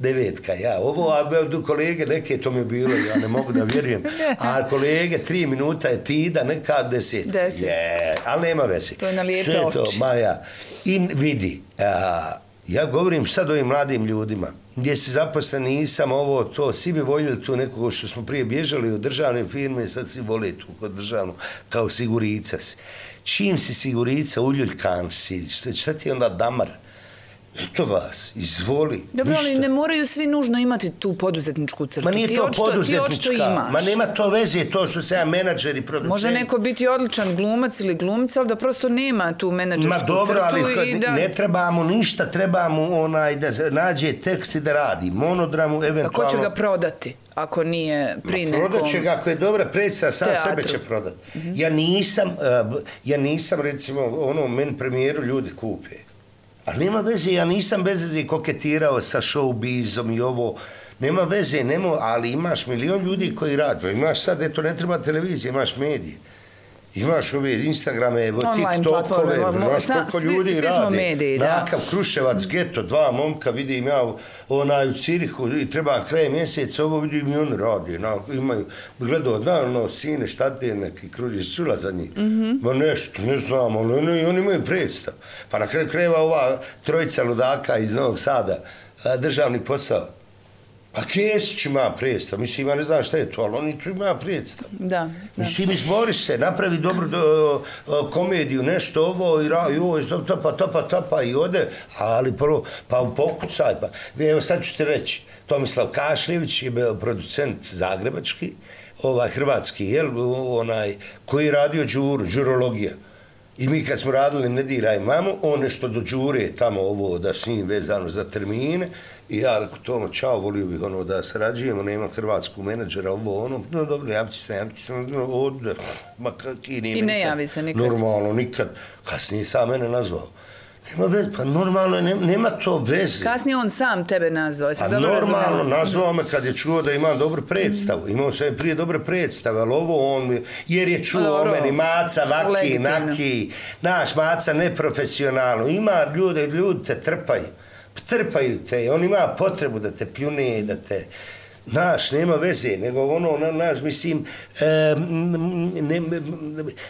9. Ja. Ovo, a kolege, neke to mi je bilo, ja ne mogu da vjerujem. A kolege, 3 minuta je tida, neka 10. Ali nema veze. To je na lijepe oči. Sve to, Maja. I vidi, ja govorim sad ovim mladim ljudima, gdje si zaposlen, nisam ovo, to, svi bi voljeli tu nekoga što smo prije bježali od državne firme, sad si vole tu kod državnog, kao sigurica si. Čim si sigurica, uljuljkan si, šta ti je onda damar? Eto vas, izvoli. Dobro, ali ne moraju svi nužno imati tu poduzetničku crtu. Ma nije to poduzetnička, ma nema to veze to što se ja menadžer i producent. Može neko biti odličan glumac ili glumica, ali da prosto nema tu menadžersku crtu. Ma dobro, ali ne trebamo ništa, trebamo da nađe tekst i da radi. Monodramu, eventualno... A ko će ga prodati? Ako nije pri nekom... Prodat će ga, ako je dobra predstava, sam sebe će prodati. Ja nisam, recimo, meni premijeru ljudi kupe. Ali nema veze, ja nisam bez veze koketirao sa showbizom i ovo. Nema veze, ali imaš milion ljudi koji rade. Imaš sad, eto, ne treba televizije, imaš medije. Imaš ove Instagrame, TikTokove, imaš koliko ljudi rade. Svi smo mediji, da. Nakav Kruševac, geto, 2 momka, vidim ja u Cirihu i treba kraj mjeseca, ovo vidim i oni radi. Imaju, gledao, sine, šta te neki kružiš, čula za njih. Ma nešto, ne znam, ali oni imaju predstav. Pa na kraju krajeva ova trojica ludaka iz Novog Sada, državni posao. A Kesić ima predstav, mislim, ja ne znam šta je to, ali oni tu ima predstav. Da. Mislim, izbori se, napravi dobru komediju, nešto ovo, i ovo, topa, i ode, ali prvo, pa pokucaj, pa. Evo sad ću ti reći, Tomislav Kašljević je bio producent zagrebački, hrvatski, koji je radio đurologija. I mi kad smo radili Ne diraj mamu, on nešto do đure tamo ovo da s njim vezano za termine i ja rekao Tomo, čao, volio bih da sarađujemo, nema hrvatsku menadžera, no dobro, javit ću se, ovdje, ma kakvi nije. I ne javi se nikad. Normalno, nikad. Kasnije sam mene nazvao. Nema veze, pa normalno, nema to veze. Kasnije on sam tebe nazvao, jesi dobro razumio? Normalno, nazvao me kad je čuo da imam dobru predstavu. Imao sam prije dobre predstave, ali ovo on, jer je čuo o meni, Maca, vaki, naki, naš Maca neprofesionalno. Ima ljudi te trpaju te, on ima potrebu da te pljune, da te... Naš, nema veze, nego mislim,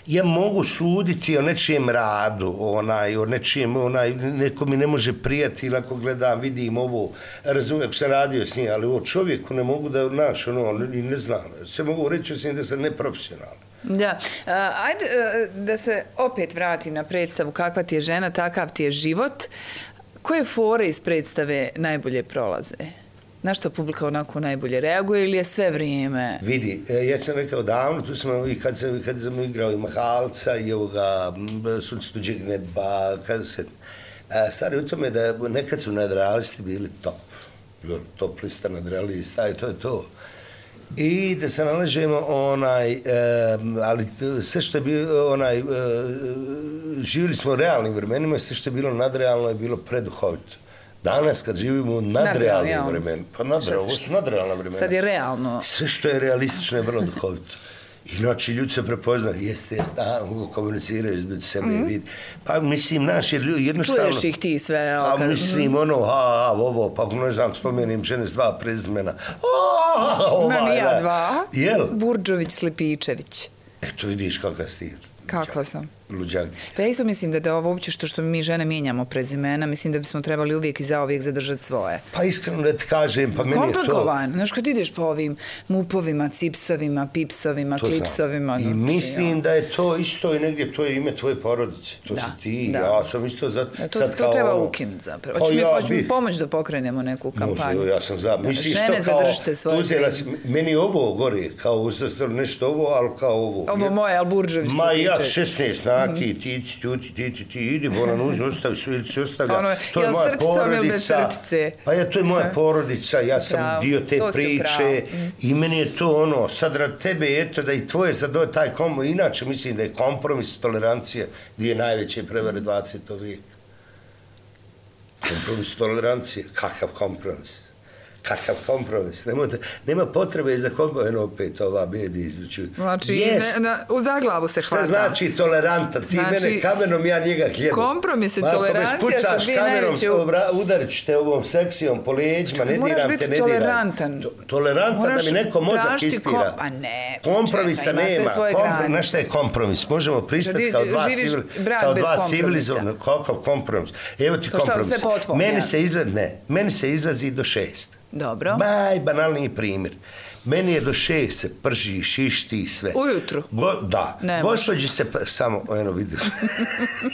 ja mogu suditi o nečijem radu, o nečijem, neko mi ne može prijati, ili ako gledam, vidim ovo, razumijem, ako sam radio s njim, ali o čovjeku ne mogu da, ne znam, sve mogu reći s njim da sam neprofesionalan. Da, ajde da se opet vratim na predstavu Kakva ti je žena, takav ti je život. Koje fore iz predstave najbolje prolaze? Na što publika onako najbolje reaguje ili je sve vrijeme? Vidi, ja sam rekao davno, tu smo i kad sam igrao i Mahalca i ovoga Sunce tuđeg neba, stvari u tome da nekad su nadrealisti bili top lista nadrealista i to je to. I da se nalažemo ali sve što je bilo živjeli smo u realnim vremenima, sve što je bilo nadrealno je bilo preduhovito. Danas kad živimo u nadrealnim vremenima, pa nadrealna vremena. Sad je realno. Sve što je realistično je vrlo duhovito. Inače, ljudi se prepoznaju, jeste, komuniciraju između sebe i vidi. Pa mislim, jednostavno... Čuješ ih ti sve. Pa mislim, ovo, pa ne znam, spomenim žene s 2 prezimena. Imam ja 2. Jel? Burđović, Slipičević. Eto vidiš kakav si ti. Kakva sam. luđanke. Pa ja isto mislim da ovo uopće što mi žene mijenjamo prezimena, mislim da bismo trebali uvijek i zauvijek zadržati svoje. Pa iskreno da ti kažem, pa meni je to... Komplikovan. Znaš, kad ideš po ovim mupovima, cipsovima, pipsovima, klipsovima... I mislim da je to isto i negdje, to je ime tvoje porodice. To si ti, ja sam isto za... To treba ukinuti zapravo. Hoće mi pomoći da pokrenemo neku kampanju. Može, ja sam za... Žene zadržite svoje prezime. Meni ovo gore, kao uzastro nešto ovo, ali kao ovo. Ovo moje, ali Burđević se ma ja 16 naki, ti idi, bolan uzi, ostavi su ili se ostavlja. To je moja porodica. Pa ja, to je moja porodica, ja sam dio te priče i meni je to ono, sad rad tebe, eto da i tvoje sad taj kompromis, inače mislim da je kompromis, tolerancija, dvije najveće prevare 20. vijeka. Kompromis, tolerancija, kakav kompromis? Kakav kompromis? Nema potrebe za kompromis, opet ova medija izvuču. Znači, u zaglavu se hvata. Šta znači tolerantan? Ti mene kamenom, ja njega hljebom. Kompromis i tolerancija su dvije najveće... Udarit ću te ovom seksijom po leđima, ne diram te, ne diram. Moraš biti tolerantan. Tolerantan da mi neko mozak ispira. A ne, kompromisa nema. Znaš šta je kompromis? Možemo pristati kao dva civilizovna. Kakav kompromis? Evo ti kompromis. Meni se izlazi do 6. Dobro. Banalniji primjer. Meni je do 6 se prži, šišti i sve. Ujutru? Da. Gospođi se, samo, eno vidim,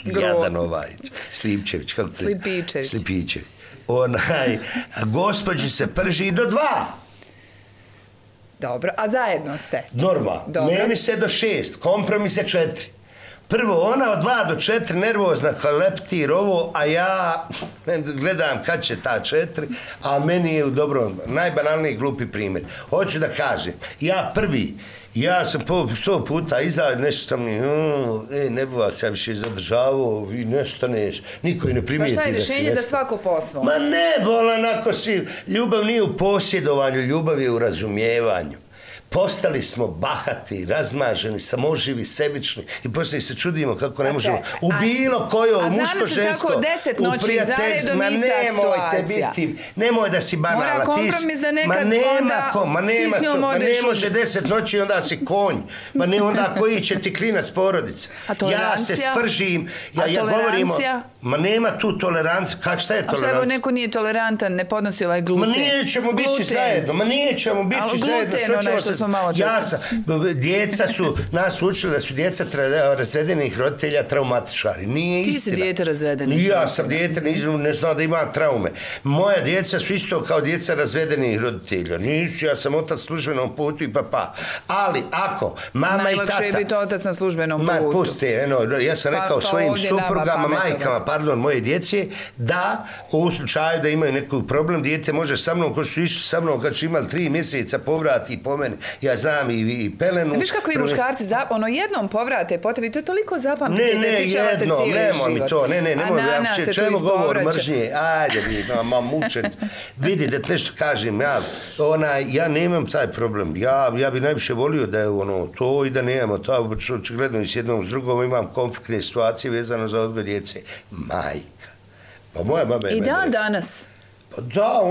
jadan Slipčević, kako te? Slipičević. Gospođi se prži do 2. Dobro, a zajedno ste? Normalno. Meni se do 6, kompromis je 4. Prvo, ona od 2 do 4 nervozna kao leptir ovo, a ja gledam kad će ta 4, a meni je u dobrom, najbanalniji glupi primjer. Hoću da kažem, ja sam 100 puta iza, nešto sam mi, ne bi vas ja više zadržavao i nestaneš, niko i ne primijeti da si nestane. Pa šta je rješenje da svako po svom? Ma ne, bolan, ako si, ljubav nije u posjedovanju, ljubav je u razumijevanju. Postali smo bahati, razmaženi, samoživi, sebični i poslije se čudimo kako ne možemo u bilo kojo muško, žensko, u prijateljstvu, ma nemojte biti, nemoj da si banala. Mora kompromis da nekad onda ti s njom odeš. Ma ne može 10 noći onda si konj, ma ne onda koji će ti klinac porodica. Ja se spržim, ja govorim, ma nema tu tolerancija, šta je tolerancija? A šta neko nije tolerantan, ne podnosi ovaj gluten? Ma nećemo biti zajedno, djeca su nas učili da su djeca razvedenih roditelja traumatičari. Nije istina. Ti si dijete razvedenih. Ja sam dijete, ne znam da ima traume. Moja djeca su isto kao djeca razvedenih roditelja. Nisu, ja sam otac službenom putu i papa. Ali ako mama i tata... Najlakše je biti otac na službenom putu. Pusti, ja sam rekao svojim suprugama, majkama, moje djece, da u slučaju da imaju neki problem, dijete može sa mnom, ko su išli sa mnom kad su imali 3 mjeseca povrati po meni. Ja znam i pelenu. Viš kako i muškarci jednom povrate po tebi, to je toliko zapamtite da pričavate cijeli život. Nemoj, čemu govor mržnje? Ajde, mučen. Vidi, da nešto kažem, ja nemam taj problem. Ja bi najviše volio da je to i da nemamo to. Očigledno i s jednom s drugom imam konfliktne situacije vezano za odgoj djece. Majka. Pa moja baba je... I danas? Pa da,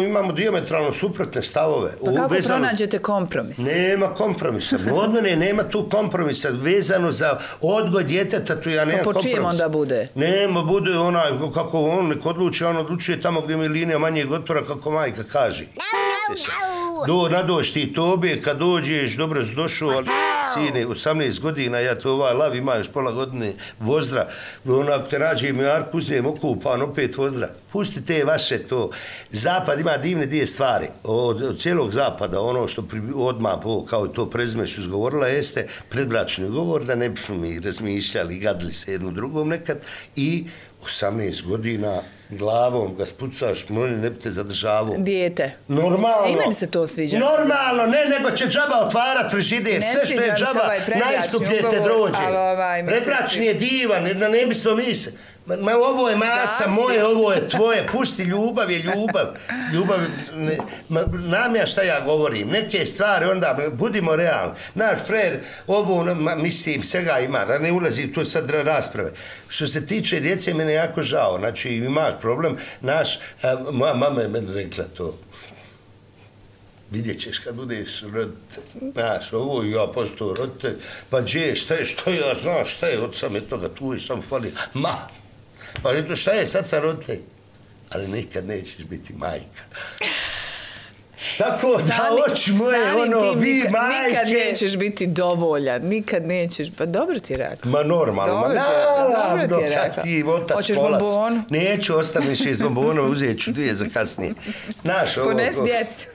imamo dijametralno suprotne stavove. Pa kako pronađete kompromis? Nema kompromisa. Od mene nema tu kompromisa vezano za odgoj djeteta, tu ja nemam kompromis. Pa po čijem onda bude? Nema, bude onaj, kako on nek odluči, on odlučuje tamo gdje mi je linija manjeg otpora, kako majka kaže. Nadoš ti tobe, kad dođeš, dobro si došao, ali sine, 18 godina, ja to lav ima još pola godine vozdra, onako te rađe mi Arku, uzmem okupan, opet vozdra. Pustite vaše to. Zapad ima divne dvije stvari. Od cijelog zapada, ono što odmah, kao to prezime su izgovorila, jeste predbračni govor, da ne bi mi razmišljali, gadili se jednu drugom nekad i 18 godina glavom ga spucaš, ne bi te zadržavao. Dijete. Normalno. I meni se to sviđa. Normalno, nego će džaba otvarat frižider, sve što je džaba, najskuplje te drođe. Predbračni je divan, ne bismo mi se... Ma ovo je maca moje, ovo je tvoje, pusti, ljubav je ljubav. Znam ja šta ja govorim, neke stvari, onda budimo realni. Naš frer, ovo, mislim, svega ima, da ne ulazi tu sad rasprave. Što se tiče djece, mene jako žao, znači imaš problem, moja mama je meni rekla to. vidjet ćeš kad budeš roditelj, znaš, ovo i ja postao roditelj, pa gdje, što ja znam, šta je, od same toga, tu je samo fali, pa eto šta je, sad sam roditelj, ali nikad nećeš biti majka. Tako da, oči moje, vi majke... Nikad nećeš biti dovoljan, nikad nećeš, pa dobro ti je rekla. Ma normalno, dobro ti je rekla. Kad ti otac hoćeš kolac. bombonu? Neću, ostavim 6 bombonova, uzet ću 2 za kasnije. Pones djecu.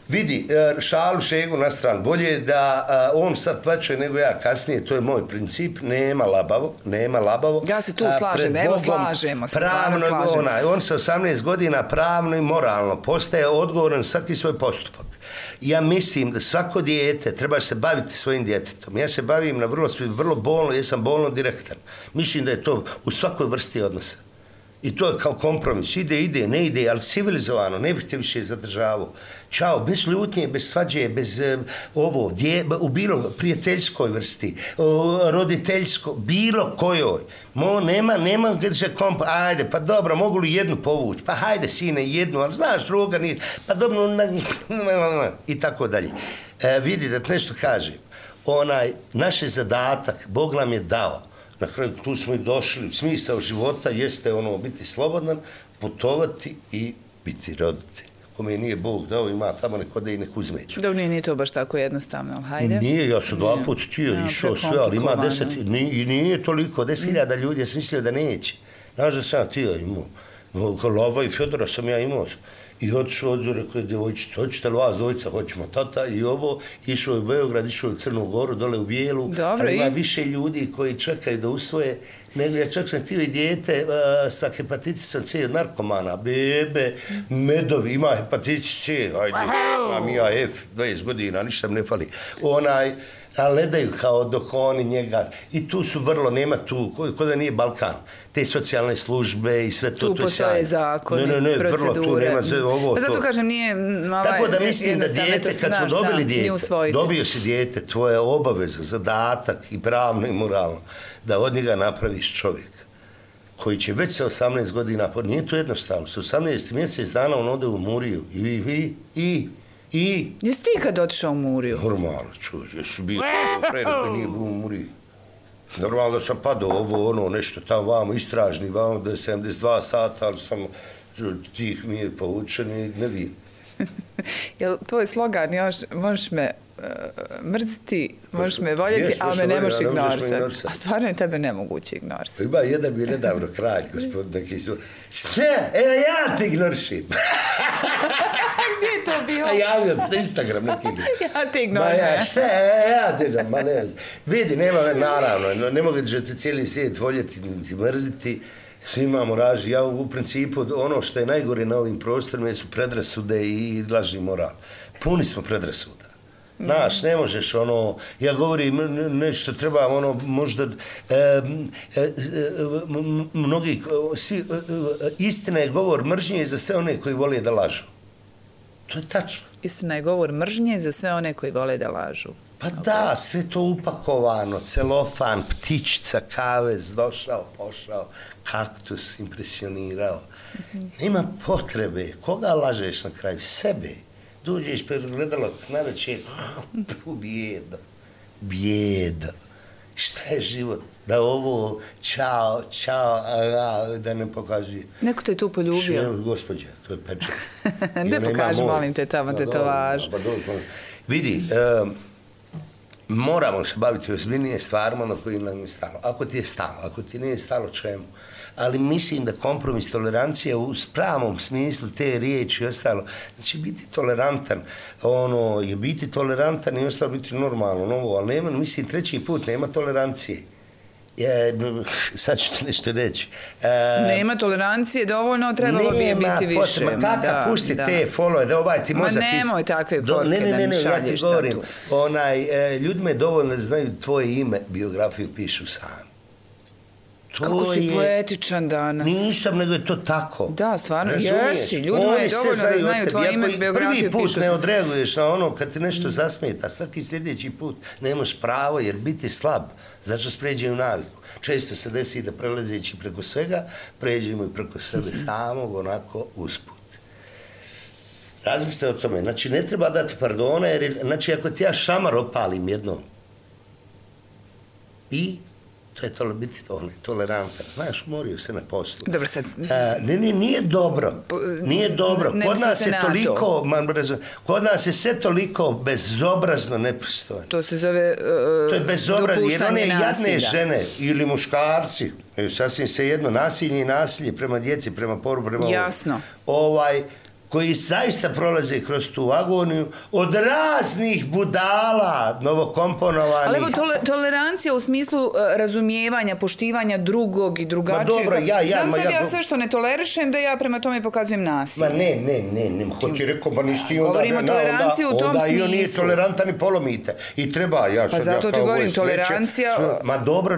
Vidi, šalu šegu na stranu, bolje da on sad plaćuje nego ja kasnije, to je moj princip, nema labavo. Ja se tu slažem, evo slažemo se, stvarno slažem. On sa 18 godina pravno i moralno postaje odgovoran svaki svoj postupak. Ja mislim da svako dijete treba se baviti svojim djetetom. Ja se bavim na vrlo bolno, ja sam bolno direktan. Mislim da je to u svakoj vrsti odnosa. I to je kao kompromis. Ide, ne ide, ali civilizovano, ne bih te više zadržavao. Ćao, bez ljutnje, bez svađe, bez u bilo prijateljskoj vrsti, roditeljsko, bilo kojoj. Nema gdje kompromis. Ajde, pa dobro, mogu li jednu povući? Pa hajde, sine, jednu, ali znaš, druga nije. Pa dobro, i tako dalje. Vidi, da te nešto kažem. Naš zadatak, Bog nam je dao. Na kraju tu smo i došli, smisao života jeste biti slobodan, putovati i biti roditelj. Kome nije Bog dao, ima tamo neko da i nek uzmeću. Dobro, nije to baš tako jednostavno, ali hajde. Nije, ja sam 2 puta htio, išao sve, ali ima 10, i nije toliko, 10.000 ljudi, ja sam mislio da neće. Znaš da sam htio imao, Lova i Fjodora sam ja imao. I otišao, rekao je djevojčica, hoćete li vas dvojica, hoćemo tata i ovo, išao je u Beograd, išao je u Crnu Goru, dole u Bijelu, ali ima više ljudi koji čekaju da usvoje, nego ja čak sam htio i dijete sa hepatitisom C od narkomana, bebe, medovi, ima hepatitis C, ajde, imam ja F, 20 godina, ništa mi ne fali, ali ne daju kao dok oni njega, i tu su vrlo, nema tu, ko da nije Balkan, te socijalne službe i sve to, tu postoje zakoni, procedure. Zato kažem, nije tako da mislim da dijete, kad smo dobili dijete, dobio si dijete, tvoja obaveza, zadatak i pravno i moralno, da od njega napraviš čovjek koji će već sa 18 godina, nije to jednostavno, sa 18 mjesec dana on ode u Muriju i... Jesi ti kad otišao u Muriju? Normalno, čuž, jesu bio frere koji nije bio u Muriji. Normalno da sam padao nešto tamo vamo, istražni vamo, da je 72 sata, ali sam tih mi je poučen i ne vidim. Jel tvoj slogan još, možeš me mrziti, možeš me voljeti, ali me ne možeš ignorisati. A stvarno je tebe nemoguće ignorisati. Ima jedan bi nedavno kralj, gospodin neki su, šta? Evo ja te ignorišim. Gdje je to bio? A javljam se, Instagram neki. Ja te ignorišim. Šta? Ja te, ma ne znam. Vidi, naravno, ne mogu da te cijeli svijet voljeti, niti mrziti. Svi imamo raži. Ja u principu, ono što je najgore na ovim prostorima su predrasude i lažni moral. Puni smo predrasuda. Znaš, ne možeš ja govorim nešto treba možda mnogi, istina je govor mržnje za sve one koji vole da lažu. To je tačno. Istina je govor mržnje za sve one koji vole da lažu. Pa da, sve to upakovano, celofan, ptičica, kavez, došao, pošao, kaktus, impresionirao. Nema potrebe. Koga lažeš na kraju? Sebe. Dođeš pred gledalog na večer, bijeda. Šta je život? Da ovo, čao, da ne pokazuje. Neko te tu poljubio? Gospođa, to je pečak. Ne pokaži, molim te, tamo te to važi. Vidi, moramo se baviti ozbiljnije stvarima na kojim nam je stalo. Ako ti je stalo, ako ti nije stalo, čemu? Ali mislim da kompromis, tolerancija u pravom smislu te riječi i ostalo, znači biti tolerantan, je biti tolerantan i ostalo biti normalno, ali nema, mislim, treći put nema tolerancije. Sad ću ti nešto reći. Nema tolerancije, dovoljno, trebalo bi je biti više. Ma kaka, pusti te follow, da ovaj ti mozak... Ma nemoj takve poruke da mi šalješ sad tu. Ljudima je dovoljno da znaju tvoje ime, biografiju pišu sami. Kako si poetičan danas. Nisam, nego je to tako. Da, stvarno, jesi. Ljudima je dovoljno da znaju tvoje ime, biografiju, prvi put ne odreaguješ na ono kad ti nešto zasmeta, svaki sljedeći put nemaš pravo jer biti slab, zato spređaju naviku. Često se desi da prelazeći preko svega, pređemo i preko sebe samog, onako usput. Razmislite o tome. Znači, ne treba dati pardona, jer, znači, ako ti ja šamar opalim jednom, i to je biti tolerantan. Znaš, umorio se na poslu. Dobro, sad... Nije dobro. Nije dobro. Kod nas je sve toliko bezobrazno nepristojno. To se zove to je bezobrazno, jer one jadne žene ili muškarci, sasvim se jedno, nasilje i nasilje prema djeci, prema poru, prema jasno. Koji zaista prolaze kroz tu agoniju od raznih budala, novokomponovanih. Ali evo, tolerancija u smislu razumijevanja, poštivanja drugog i drugačijeg. Ma dobro, Znam sad ja sve što ne tolerišem, da ja prema tome pokazujem nasilje. Ma ne, ko ti rekao, pa nisi ti onda... Govorimo o toleranciji u tom smislu. Onda i on nije tolerantan i polomite. I treba, pa zato ti govorim, tolerancija... Ma dobro,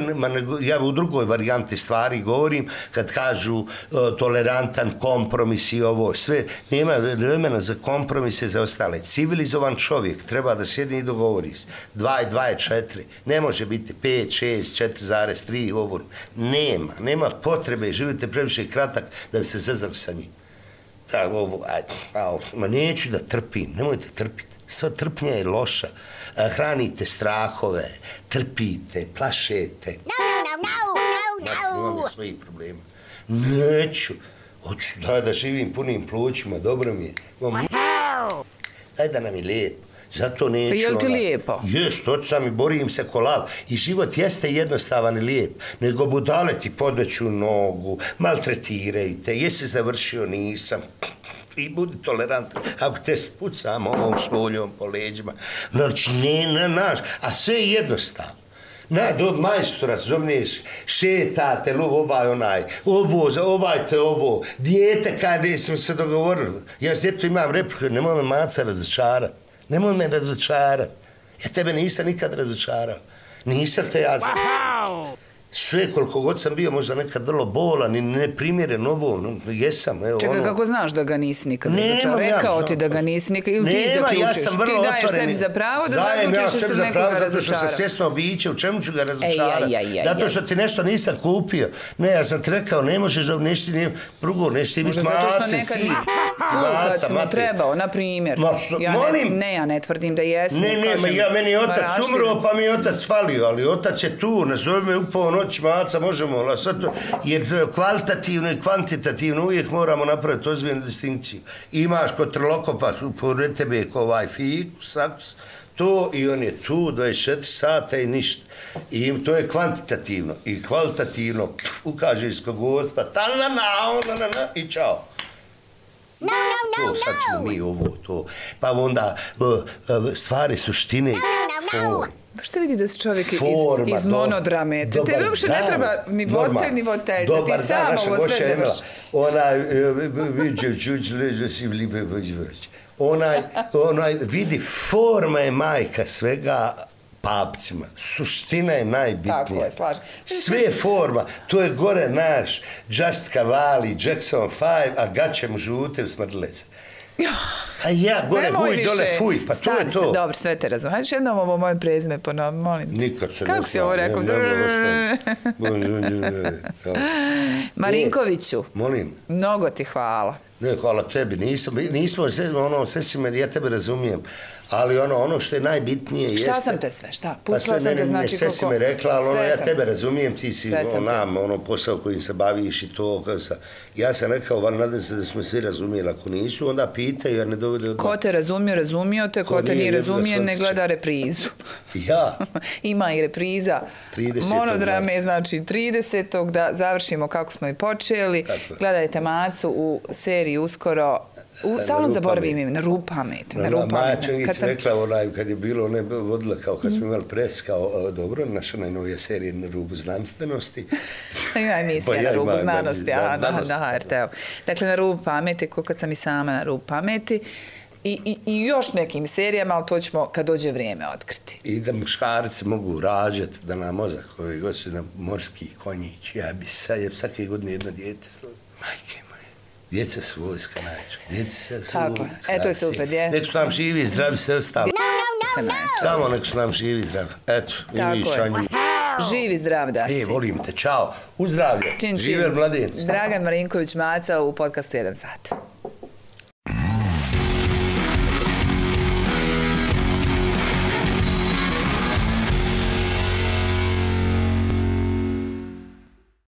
ja u drugoj varijanti stvari govorim, kad kažu tolerantan, kompromis i ovo, sve... Nema vremena za kompromise za ostale. Civilizovan čovjek treba da sjedne i dogovori se. 2 i 2 je 4. Ne može biti 5, 6, 4,3 ovo. Nema potrebe. Živite previše kratak da bi se zezali sa njim. Ma neću da trpim. Nemojte trpiti. Sva trpnja je loša. Hranite strahove, trpite, plašete. No. Imam svojih problema. Neću. Hoću da živim punim plućima, dobro mi je. Daj da nam je lijepo. Zato neću... Pa je li ti lijepo? Jest, očam i borim se ko lav. I život jeste jednostavan i lijep. Nego budale ti podmeću nogu, maltretiraju te. Jesi završio, nisam. I budi tolerantan. Ako te spucam ovom šoljom po leđima. Znači, a sve je jednostavno. Do majstora zovneš, šetate, ovo, dijete kada smo se dogovorili. Ja s djetom imam repliku, nemoj me maca razočarati. Nemoj me razočarati. Ja tebe nisam nikad razočarao. Nisam te ja... Sve, koliko god sam bio, možda nekad vrlo bolan i neprimjeren ovo, jesam, evo. Čekaj, kako znaš da ga nisi nikad razočarao? Rekao ti da ga nisi nikad, ili ti zaključiš? Ti daješ sebi za pravo da zaključiš da sam nekoga razočarao? Zato što sam svjesno biće, u čemu ću ga razočarati? Zato što ti nešto nisam kupio. Ne, ja sam ti rekao, ne možeš, drugo, nešto ti biti maca, si. Kad sam mu trebao, na primjer. Ja ne tvrdim da jesam. Meni je otac umro, pa mi je otac falio, ali otac je tu, nazove me upao noć maca, možemo, jer kvalitativno i kvantitativno uvijek moramo napraviti ozbiljnu distinkciju. Imaš kod trlokopa, pored tebe ovaj fikus, to i on je tu 24 sata i ništa. I to je kvantitativno i kvalitativno ukaže isko Gospa, i čao. To, sad ćemo mi ovo, to. Pa onda stvari suštine. Pa što vidi da si čovjek iz monodrame? Tebi uopšte ne treba ni voditelj, ni voditeljica. Ti sam ovo sve završi. Vidi, forma je majka svega papcima. Suština je najbitnija. Tako je, slažem. Sve je forma. To je gore naš Just Cavalli, Jackson 5, a gaće mu žute usmrdile se. A ja, gore, huj, dole, fuj, pa to je to. Dobro, sve te razumem. Hajde jednom ovo moje prezime ponovno, molim. Nikad se ne kako si ovo rekao? Marinkoviću. Molim. Mnogo ti hvala. Ne, hvala tebi. Nismo, sve si me, ja tebe razumijem. Ali ono što je najbitnije jeste... Šta sam te sve, šta? Pustila sam te, znači sve si me rekla, ali ja tebe razumijem, ti si posao kojim se baviš i to. Ja sam rekao, nadam se da smo svi razumijeli, ako nisu, onda pitaju, jer ne dovede... Ko te razumio te, ko te nije razumije, ne gleda reprizu. Ja? Ima i repriza. Monodrame, znači 30. da završimo kako smo i počeli. Gledajte Macu u seriji uskoro. Stalno zaboravim ime, na Rupamet. Maja Čengić rekla kad je bilo, ona je vodila kao kad smo imali pres, kao dobro, naša najnovija serija Na rubu znanstvenosti. Ima emisija Na rubu znanosti, na HRT-u. Dakle, Na rubu pameti, kad sam i sama Na rubu pameti. I još nekim serijama, ali to ćemo kad dođe vrijeme otkriti. I da muškarci mogu rađati, da nam mozak koji god su na morski konjić. Ja bi svake godine jedno dijete slovo. Majke moje. Djeca su vojska najčešće. Djeca su tako, to je super, dje. Nek su nam živi i zdravi sve ostalo. Samo nek su nam živi i zdravi. Eto, i mi šanju. Živi zdrav da si. Volim te, čao. Uzdravlje. Živer mladenci. Dragan Marinković Maca u podcastu 1 sat.